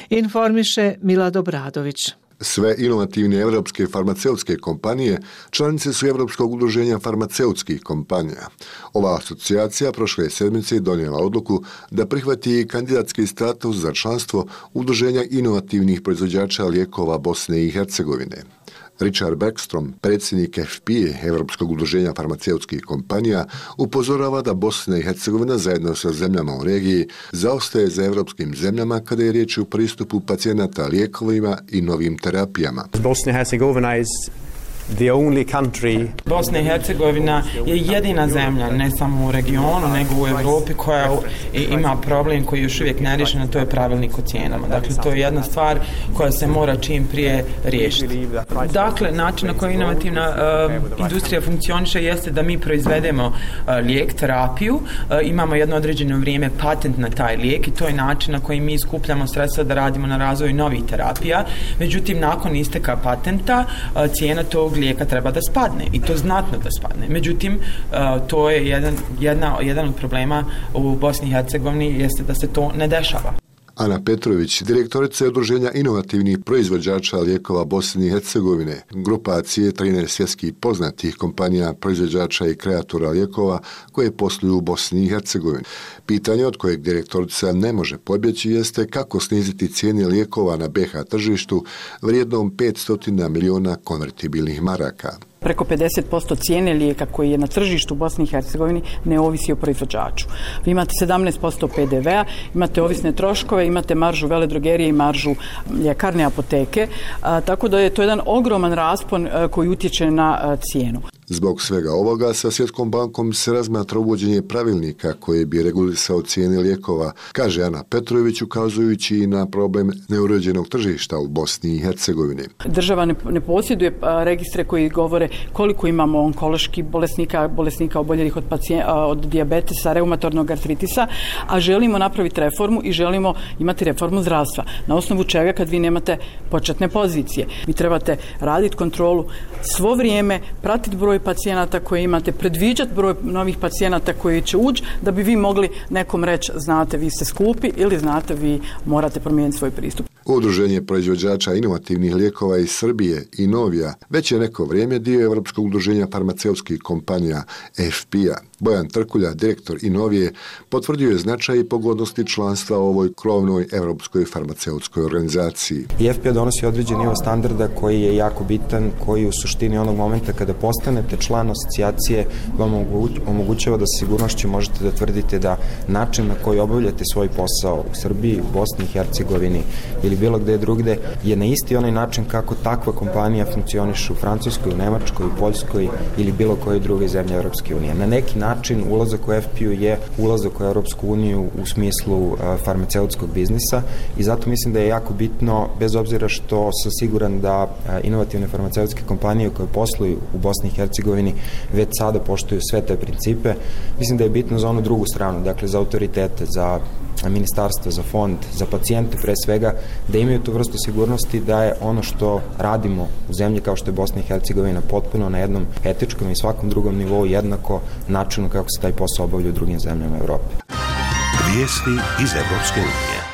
Informiše Milad Obradović. Sve inovativne evropske farmaceutske kompanije članice su Evropskog udruženja farmaceutskih kompanija. Ova asocijacija prošle sedmice donijela odluku da prihvati kandidatski status za članstvo Udruženja inovativnih proizvođača lijekova Bosne i Hercegovine. Richard Beckstrom, predsjednik FPA, Evropskog udruženja farmaceutskih kompanija, upozorava da Bosna i Hercegovina zajedno sa zemljama u regiji zaostaje za evropskim zemljama kada je riječ o pristupu pacijenata lijekovima i novim terapijama. Bosnia and Herzegovina is the only country. Bosna i Hercegovina je jedina zemlja, ne samo u regionu, nego u Europi koja ima problem koji je još uvijek nerješen, a to je pravilnik o cijenama. Dakle, to je jedna stvar koja se mora čim prije riješiti. Dakle, način na koji inovativna industrija funkcioniše jeste da mi proizvedemo lijek, terapiju, imamo jedno određeno vrijeme patent na taj lijek i to je način na koji mi skupljamo sredstva da radimo na razvoju novih terapija. Međutim, nakon isteka patenta, cijena tog lijeka treba da spadne i to znatno da spadne. Međutim, to je jedan od problema u Bosni i Hercegovini jeste da se to ne dešava. Ana Petrović, direktorica Udruženja inovativnih proizvođača lijekova Bosne i Hercegovine, grupacije 13 svjetskih poznatih kompanija proizvođača i kreatora lijekova koje posluju u Bosni i Hercegovini. Pitanje od kojeg direktorica ne može pobjeći jeste kako sniziti cijene lijekova na BiH tržištu vrijednom 500 miliona konvertibilnih maraka. Preko 50% cijene lijeka koji je na tržištu u Bosni i Hercegovini ne ovisi o proizvođaču. Vi imate 17% PDV-a, imate ovisne troškove, imate maržu veledrogerije i maržu ljekarne apoteke, tako da je to jedan ogroman raspon koji utječe na cijenu. Zbog svega ovoga sa Svjetskom bankom se razmatra uvođenje pravilnika koji bi regulisao cijene lijekova, kaže Ana Petrović, ukazujući i na problem neuređenog tržišta u Bosni i Hercegovini. Država ne posjeduje registre koji govore koliko imamo onkoloških bolesnika oboljelih od dijabetesa, reumatornog artritisa, a želimo napraviti reformu i želimo imati reformu zdravstva. Na osnovu čega kad vi nemate početne pozicije. Vi trebate raditi kontrolu svo vrijeme, pratiti broj pacijenata koje imate, predviđati broj novih pacijenata koji će ući da bi vi mogli nekom reći znate vi ste skupi ili znate vi morate promijeniti svoj pristup. Udruženje proizvođača inovativnih lijekova iz Srbije i Novija već je neko vrijeme dio Europskog udruženja farmaceutskih kompanija FPA. Bojan Trkulja, direktor Inovije, potvrdio je značaj i pogodnosti članstva u ovoj krovnoj europskoj farmaceutskoj organizaciji. FPA donosi određen nivo standarda koji je jako bitan, koji u suštini onog momenta kada postanete član asocijacije vam omogućava da sa sigurnošću možete da tvrdite da način na koji obavljate svoj posao u Srbiji, u Bosni i Hercegovini ili bilo gde drugde je na isti onaj način kako takva kompanija funkcioniše u Francuskoj, u Nemačkoj, u Poljskoj ili bilo koje druge zemlje Europske unije. Na neki način ulazak u FPU je ulazak u Europsku uniju u smislu farmaceutskog biznisa i zato mislim da je jako bitno, bez obzira što sam siguran da inovativne farmaceutske kompanije koje posluju u Bosni i Hercegovini već sada poštuju sve te principe, mislim da je bitno za onu drugu stranu, dakle za autoritete, za ministarstvo, za fond, za pacijente pre svega, da imaju tu vrstu sigurnosti da je ono što radimo u zemlji kao što je Bosna i Hercegovina potpuno na jednom etičkom i svakom drugom nivou jednako načinu kako se taj posao obavlja u drugim zemljama Evrope. Vijesti iz Evropske unije.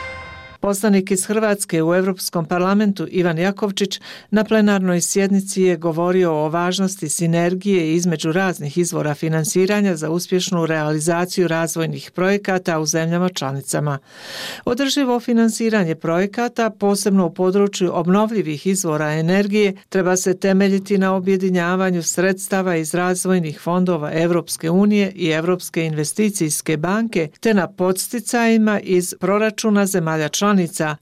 Poslanik iz Hrvatske u Europskom parlamentu Ivan Jakovčić na plenarnoj sjednici je govorio o važnosti sinergije između raznih izvora finansiranja za uspješnu realizaciju razvojnih projekata u zemljama članicama. Održivo finansiranje projekata, posebno u području obnovljivih izvora energije, treba se temeljiti na objedinjavanju sredstava iz razvojnih fondova Europske unije i Europske investicijske banke, te na podsticajima iz proračuna zemalja članica,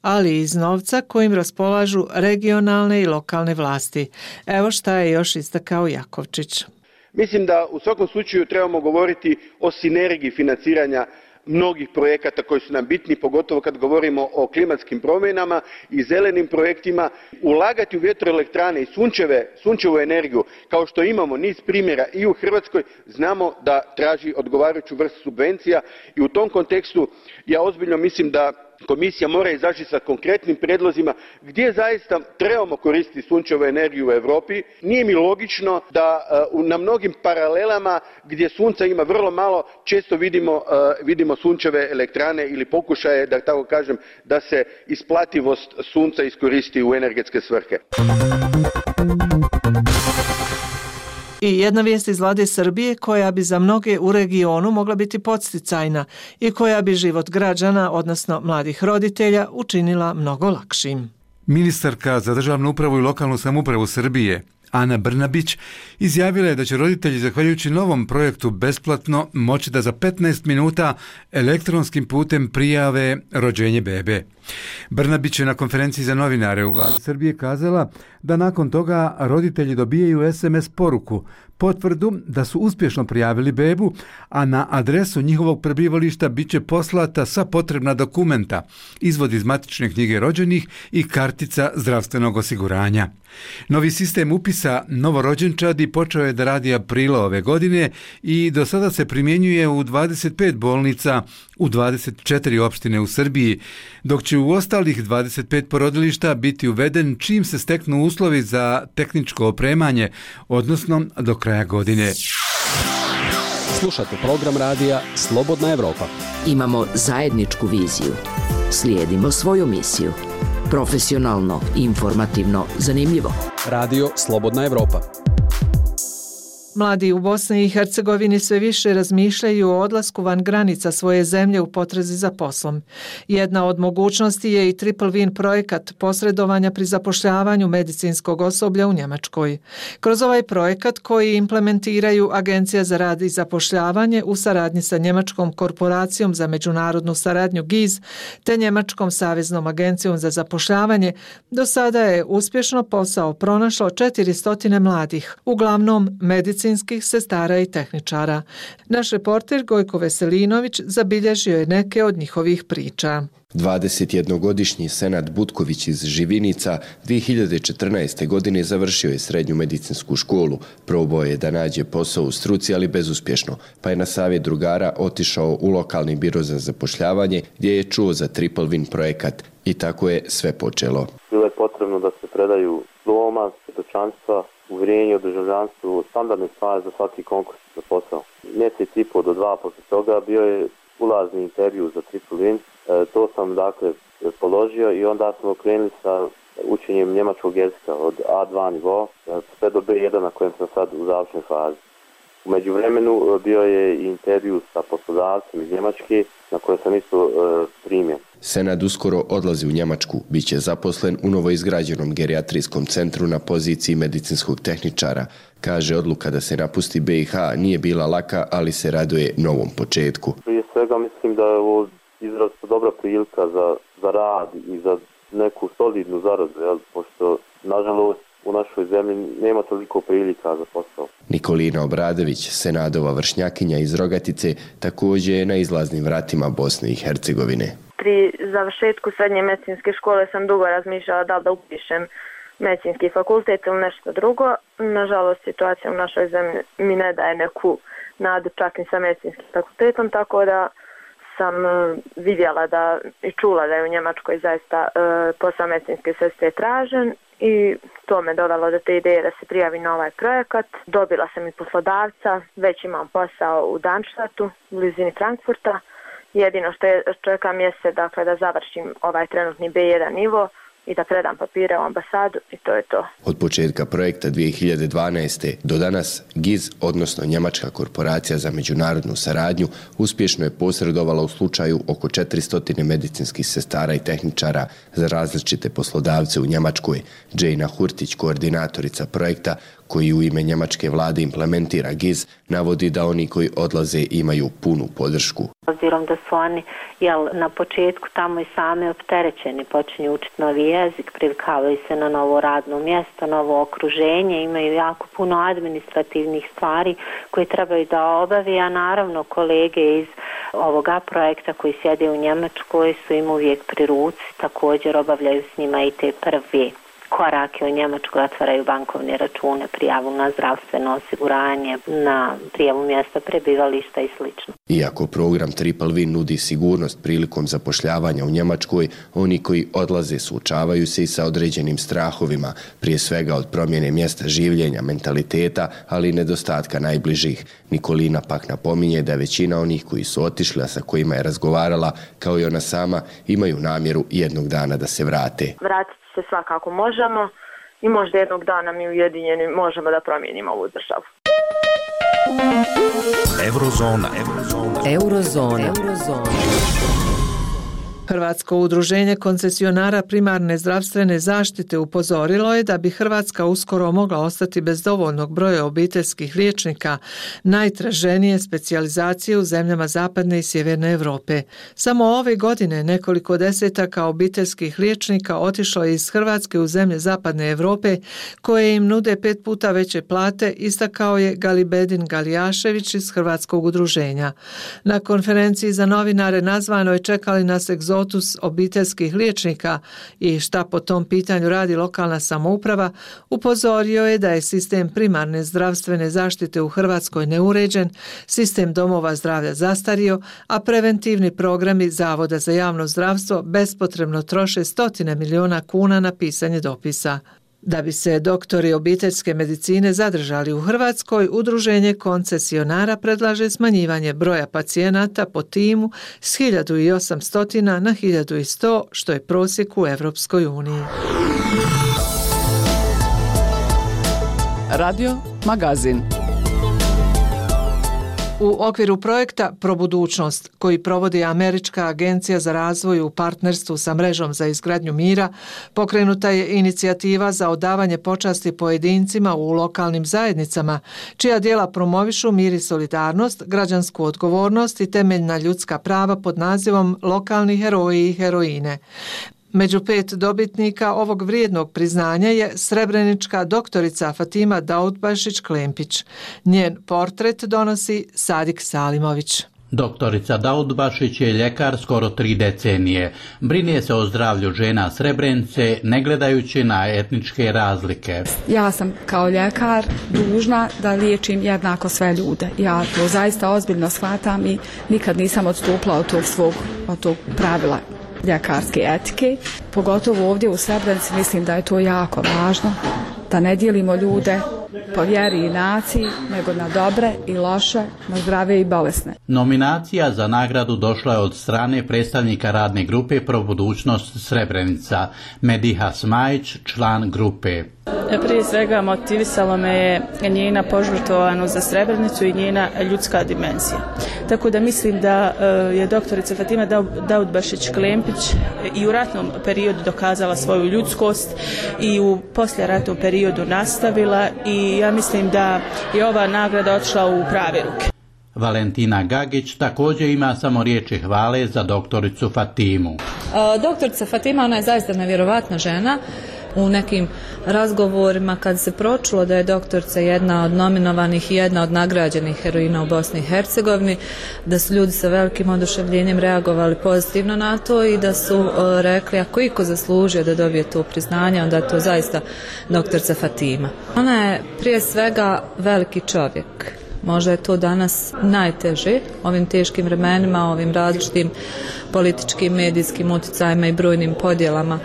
ali i iz novca kojim raspolažu regionalne i lokalne vlasti. Evo šta je još istakao Jakovčić. Mislim da u svakom slučaju trebamo govoriti o sinergiji financiranja mnogih projekata koji su nam bitni, pogotovo kad govorimo o klimatskim promjenama i zelenim projektima. Ulagati u vjetroelektrane i sunčevu energiju, kao što imamo niz primjera i u Hrvatskoj, znamo da traži odgovarajuću vrstu subvencija i u tom kontekstu ja ozbiljno mislim da Komisija mora izaći sa konkretnim prijedlozima gdje zaista trebamo koristiti sunčevu energiju u Europi. Nije mi logično da na mnogim paralelama gdje sunca ima vrlo malo često vidimo sunčeve elektrane ili pokušaje, da tako kažem, da se isplativost sunca iskoristi u energetske svrhe. I jedna vijest iz vlade Srbije koja bi za mnoge u regionu mogla biti podsticajna i koja bi život građana, odnosno mladih roditelja, učinila mnogo lakšim. Ministarka za državnu upravu i lokalnu samoupravu Srbije, Ana Brnabić, izjavila je da će roditelji, zahvaljujući novom projektu besplatno, moći da za 15 minuta elektronskim putem prijave rođenje bebe. Brnabić je na konferenciji za novinare u vladi Srbije kazala da nakon toga roditelji dobijaju SMS poruku, potvrdu da su uspješno prijavili bebu, a na adresu njihovog prebivališta bit će poslata sva potrebna dokumenta, izvod iz matične knjige rođenih i kartica zdravstvenog osiguranja. Novi sistem upisa novorođenčadi počeo je da radi aprila ove godine i do sada se primjenjuje u 25 bolnica u 24 opštine u Srbiji, dok će u ostalih 25 porodilišta biti uveden čim se steknu uslovi za tehničko opremanje, odnosno do kraja godine. Slušate program radija Slobodna Evropa. Imamo zajedničku viziju. Slijedimo svoju misiju. Profesionalno, informativno, zanimljivo. Radio Slobodna Evropa. Mladi u Bosni i Hercegovini sve više razmišljaju o odlasku van granica svoje zemlje u potrazi za poslom. Jedna od mogućnosti je i Triple Win projekat posredovanja pri zapošljavanju medicinskog osoblja u Njemačkoj. Kroz ovaj projekat koji implementiraju Agencija za rad i zapošljavanje u saradnji sa Njemačkom korporacijom za međunarodnu saradnju GIZ te Njemačkom saveznom agencijom za zapošljavanje, do sada je uspješno posao pronašlo 400 mladih, uglavnom medicinskih sestara i tehničara. Naš reporter Gojko Veselinović zabilježio je neke od njihovih priča. 21-godišnji Senad Butković iz Živinica 2014. godine završio je srednju medicinsku školu. Probao je da nađe posao u struci, ali bezuspješno, pa je na savjet drugara otišao u lokalni biro za zapošljavanje gdje je čuo za Triple Win projekat i tako je sve počelo. Bilo je potrebno da se predaju diploma, svjedočanstva, uvjerenje o državljanstvu, standardne stvari za svaki konkurs za posao. Mjesec i pol do 2 poslije toga bio je ulazni intervju za Triple Win. To sam dakle položio i onda smo krenuli sa učenjem njemačkog jezika od A2 nivo sve do B1 na kojem sam sad u završnoj fazi. U međuvremenu bio je i intervju sa poslodavcem iz Njemačke na koje sam isto primjen. Senad uskoro odlazi u Njemačku, bit će zaposlen u novoizgrađenom gerijatrijskom centru na poziciji medicinskog tehničara. Kaže, odluka da se napusti BiH nije bila laka, ali se raduje novom početku. Prije svega mislim da je ovo izrazito dobra prilika za rad i za neku solidnu zaradu, pošto nažalost u našoj zemlji nema toliko prilika za posao. Nikolina Obradović, Senadova vršnjakinja iz Rogatice, također je na izlaznim vratima Bosne i Hercegovine. Pri završetku srednje medicinske škole sam dugo razmišljala da upišem medicinski fakultet ili nešto drugo. Nažalost, situacija u našoj zemlji mi ne daje neku nadu čak i sa medicinskim fakultetom, tako da sam vidjela i čula da je u Njemačkoj zaista posao medicinske sestre tražen i to me dovelo do te ideje da se prijavi na ovaj projekat. Dobila sam i poslodavca, već imam posao u Darmstadtu, u blizini Frankfurta. Jedino što čekam jeste da završim ovaj trenutni B1 nivo i da predam papire u ambasadu i to je to. Od početka projekta 2012. do danas GIZ, odnosno Njemačka korporacija za međunarodnu saradnju, uspješno je posredovala u slučaju oko 400 medicinskih sestara i tehničara za različite poslodavce u Njemačkoj. Džejna Hurtić, koordinatorica projekta koji u ime njemačke vlade implementira GIZ, navodi da oni koji odlaze imaju punu podršku. Obzirom da su oni na početku tamo i sami opterećeni, počinju učiti novi jezik, privikavaju se na novo radno mjesto, novo okruženje, imaju jako puno administrativnih stvari koje trebaju da obavi, a naravno kolege iz ovoga projekta koji sjede u Njemačkoj su im uvijek pri ruci, također obavljaju s njima i te prve korake u Njemačkoj, otvaraju bankovne račune, prijavu na zdravstveno osiguranje, na prijavu mjesta prebivališta i sl. Iako program Triple V nudi sigurnost prilikom zapošljavanja u Njemačkoj, oni koji odlaze suočavaju se i sa određenim strahovima, prije svega od promjene mjesta življenja, mentaliteta, ali i nedostatka najbližih. Nikolina pak napominje da većina onih koji su otišli, a sa kojima je razgovarala, kao i ona sama, imaju namjeru jednog dana da se vrate. Vratiti se svakako možemo i možda jednog dana mi ujedinjeni možemo da promijenimo ovu državu. Eurozona. Hrvatsko udruženje koncesionara primarne zdravstvene zaštite upozorilo je da bi Hrvatska uskoro mogla ostati bez dovoljnog broja obiteljskih liječnika najtraženije specijalizacije u zemljama zapadne i sjeverne Europe. Samo ove godine nekoliko desetaka obiteljskih liječnika otišlo je iz Hrvatske u zemlje zapadne Europe koje im nude 5 puta veće plate, istakao je Galibedin Galijašević iz Hrvatskog udruženja. Na konferenciji za novinare nazvano je čekali nas egzotus obiteljskih liječnika i šta po tom pitanju radi lokalna samouprava, upozorio je da je sistem primarne zdravstvene zaštite u Hrvatskoj neuređen, sistem domova zdravlja zastario, a preventivni programi Zavoda za javno zdravstvo bespotrebno troše 100 milijuna kuna na pisanje dopisa. Da bi se doktori obiteljske medicine zadržali u Hrvatskoj, udruženje koncesionara predlaže smanjivanje broja pacijenata po timu s 1800 na 1100, što je prosjek u Evropskoj uniji. Radio Magazin. U okviru projekta Probudućnost, koji provodi Američka agencija za razvoj u partnerstvu sa mrežom za izgradnju mira, pokrenuta je inicijativa za odavanje počasti pojedincima u lokalnim zajednicama, čija djela promovišu mir i solidarnost, građansku odgovornost i temeljna ljudska prava pod nazivom Lokalni heroji i heroine. Među 5 dobitnika ovog vrijednog priznanja je srebrenička doktorica Fatima Daudbašić-Klempić. Njen portret donosi Sadik Salimović. Doktorica Daudbašić je ljekar skoro 3 decenije. Brine se o zdravlju žena Srebrenice, ne gledajući na etničke razlike. Ja sam kao ljekar dužna da liječim jednako sve ljude. Ja to zaista ozbiljno shvatam i nikad nisam odstupila od tog pravila ljekarske etike. Pogotovo ovdje u Srebrenici mislim da je to jako važno, da ne dijelimo ljude po vjeri i naciji, nego na dobre i loše, na zdrave i bolesne. Nominacija za nagradu došla je od strane predstavnika radne grupe Probudućnost Srebrenica, Mediha Smajić, član grupe. Prije svega motivisalo me je njena požrtvovanost za Srebrenicu i njena ljudska dimenzija. Tako da mislim da je doktorica Fatima Daudbašić-Klempić i u ratnom periodu dokazala svoju ljudskost i u poslijeratnom periodu nastavila i ja mislim da je ova nagrada otišla u prave ruke. Valentina Gagić također ima samo riječi hvale za doktoricu Fatimu. Doktorica Fatima, ona je zaista nevjerovatna žena. U nekim razgovorima kad se pročulo da je doktorica jedna od nominovanih i jedna od nagrađenih heroina u Bosni i Hercegovini, da su ljudi sa velikim oduševljenjem reagovali pozitivno na to i da su rekli ako iko zaslužio da dobije to priznanje, onda je to zaista doktorica Fatima. Ona je prije svega veliki čovjek. Možda je to danas najteže, ovim teškim vremenima, ovim različitim političkim, medijskim utjecajima i brojnim podjelama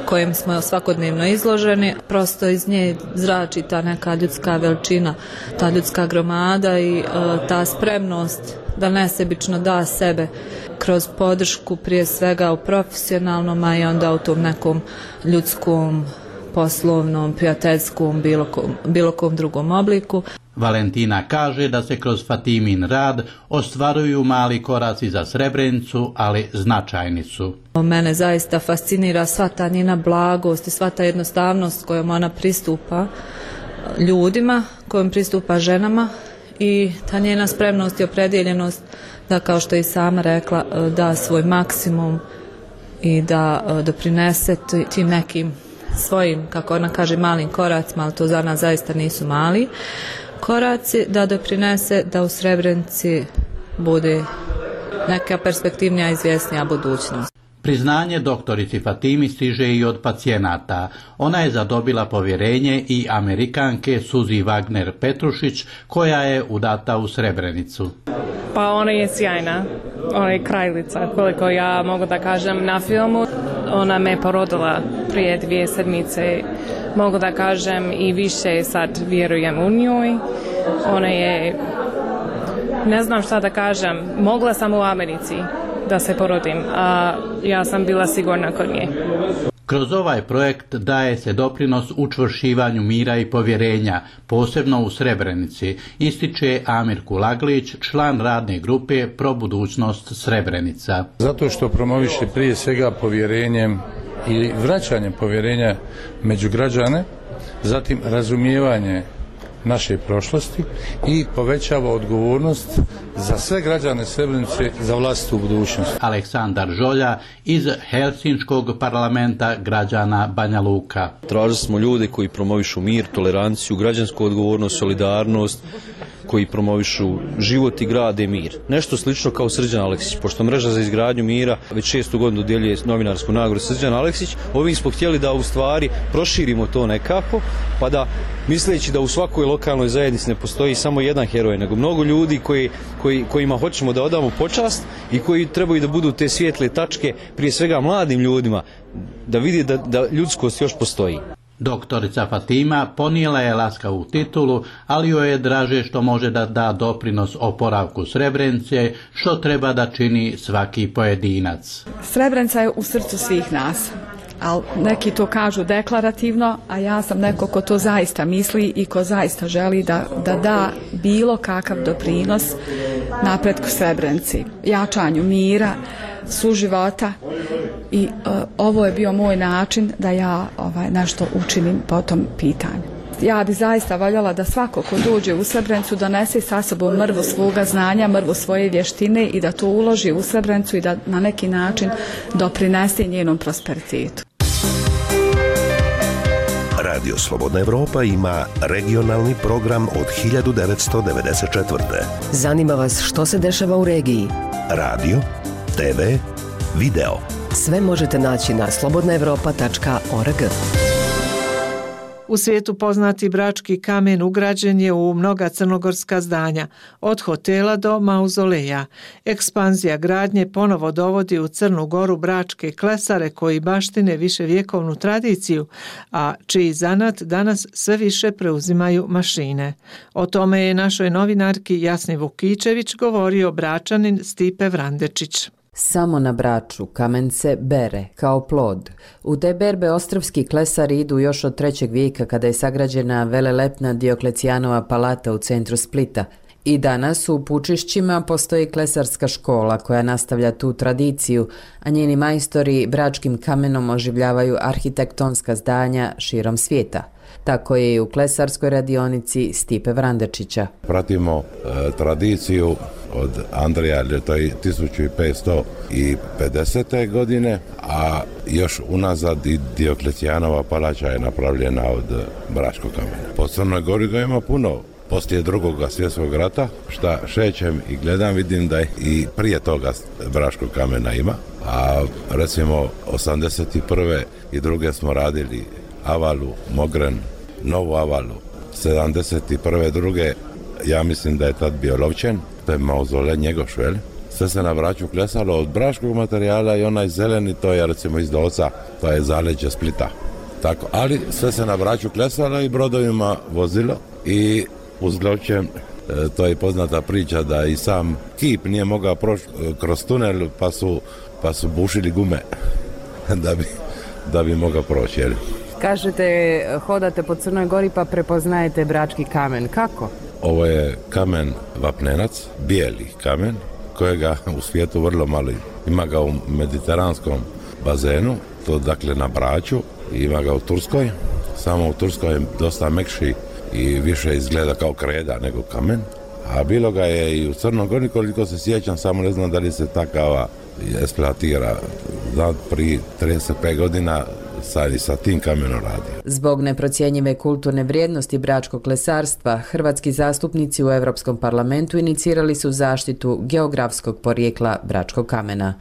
kojim smo svakodnevno izloženi. Prosto iz nje zrači ta neka ljudska veličina, ta ljudska gromada i ta spremnost da nesebično da sebe kroz podršku prije svega u profesionalnom, a i onda u tom nekom ljudskom, poslovnom, prijateljskom, bilo kom drugom obliku. Valentina kaže da se kroz Fatimin rad ostvaruju mali koraci za Srebrenicu, ali značajni su. Mene zaista fascinira sva ta njena blagost i sva ta jednostavnost kojom ona pristupa ljudima, kojom pristupa ženama i ta njena spremnost i opredjeljenost da, kao što je i sama rekla, da svoj maksimum i da doprinese tim nekim svojim, kako ona kaže, malim koracima, ali to za nas zaista nisu mali koraci, da doprinese da u Srebrenici bude neka perspektivnija i izvjesnija budućnost. Priznanje doktorici Fatimi stiže i od pacijenata. Ona je zadobila povjerenje i Amerikanke Suzi Wagner Petrušić, koja je udata u Srebrenicu. Pa ona je sjajna, ona je kraljica, koliko ja mogu da kažem na filmu. Ona me porodila prije 2 sedmice, mogu da kažem i više sad vjerujem u njoj. Ona je, ne znam šta da kažem, mogla sam u Americi da se porodim, a ja sam bila sigurna kod nje. Kroz ovaj projekt daje se doprinos učvršćivanju mira i povjerenja, posebno u Srebrenici, ističe Amir Kulaglić, član radne grupe Pro budućnost Srebrenica. Zato što promoviše prije svega povjerenjem i vraćanje povjerenja među građane, zatim razumijevanje naše prošlosti i povećava odgovornost za sve građane Srebrenice za vlastitu budućnost. Aleksandar Žolja iz Helsinškog parlamenta građana Banja Luka. Tražili smo ljude koji promovišu mir, toleranciju, građansku odgovornost, solidarnost, koji promovišu život i grade mir. Nešto slično kao Srđan Aleksić, pošto Mreža za izgradnju mira već 6. godinu dodjeljuje novinarsku nagradu Srđan Aleksić, ovim smo htjeli da u stvari proširimo to nekako, pa da misleći da u svakoj lokalnoj zajednici ne postoji samo jedan heroj, nego mnogo ljudi kojima hoćemo da odamo počast i koji trebaju da budu te svijetle tačke, prije svega mladim ljudima, da vidi da ljudskost još postoji. Doktorica Fatima ponijela je laskavu titulu, ali joj je draže što može da da doprinos oporavku Srebrenice, što treba da čini svaki pojedinac. Srebrenica je u srcu svih nas, ali neki to kažu deklarativno, a ja sam neko ko to zaista misli i ko zaista želi da bilo kakav doprinos napretku Srebrenici, jačanju mira, suživota i ovo je bio moj način da ja nešto učinim po tom pitanju. Ja bi zaista voljela da svako ko dođe u Srebrenicu donese sa sobom mrvu svoga znanja, mrvu svoje vještine i da to uloži u Srebrenicu i da na neki način doprinese njenom prosperitetu. Radio Slobodna Evropa ima regionalni program od 1994. Zanima vas što se dešava u regiji? Radio, TV, video. Sve možete naći na slobodnaevropa.org. U svijetu poznati brački kamen ugrađen je u mnoga crnogorska zdanja, od hotela do mauzoleja. Ekspanzija gradnje ponovo dovodi u Crnu Goru bračke klesare koji baštine viševjekovnu tradiciju, a čiji zanat danas sve više preuzimaju mašine. O tome je našoj novinarki Jasni Vukičević govorio Bračanin Stipe Vrandečić. Samo na Braču kamen se bere kao plod. U te berbe ostrvski klesari idu još od 3. vijeka kada je sagrađena velelepna Dioklecijanova palata u centru Splita. I danas u Pučišćima postoji klesarska škola koja nastavlja tu tradiciju, a njeni majstori bračkim kamenom oživljavaju arhitektonska zdanja širom svijeta. Tako je i u klesarskoj radionici Stipe Vrandečića. Pratimo tradiciju od Andreja, to je 1550. godine, a još unazad i Dioklecijanova palača je napravljena od bračkog kamena. Po Crnoj Gori ga ima puno. Poslije Drugog svjetskog rata, šta šećem i gledam, vidim da i prije toga bračkog kamena ima, a recimo 81. i druge smo radili Avalu, Mogren, Novu Avalu. 71. druge, ja mislim da je tad bio Lovćen, to je mauzolej Njegoš, veli? Sve se na Braču klesalo od bračkog materijala i onaj zeleni, to je recimo iz Dolca, to je zaleđe Splita. Tako, ali sve se na Braču klesalo i brodovima vozilo i uz Lovćen, to je poznata priča da i sam kip nije mogao proći kroz tunel pa su bušili gume da bi mogao proći. Jeli? Kažete, hodate po Crnoj Gori pa prepoznajete brački kamen. Kako? Ovo je kamen vapnenac, bijeli kamen, kojega u svijetu vrlo malo ima ga u mediteranskom bazenu, to dakle na Braču, ima ga u Turskoj, samo u Turskoj je dosta mekši i više izgleda kao kreda nego kamen, a bilo ga je i u Crnoj Gori, koliko se sjećam, samo ne znam da li se takava eksploatira. Prije 35 godina sa tim kamenom radio. Zbog neprocjenjive kulturne vrijednosti bračkog klesarstva, hrvatski zastupnici u Europskom parlamentu inicirali su zaštitu geografskog porijekla bračkog kamena.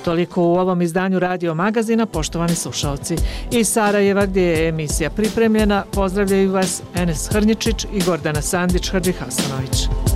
Toliko u ovom izdanju Radio Magazina, poštovani slušalci. Iz Sarajeva, gdje je emisija pripremljena, pozdravljaju vas Enes Hrnjičić i Gordana Sandić-Hadžihasanović.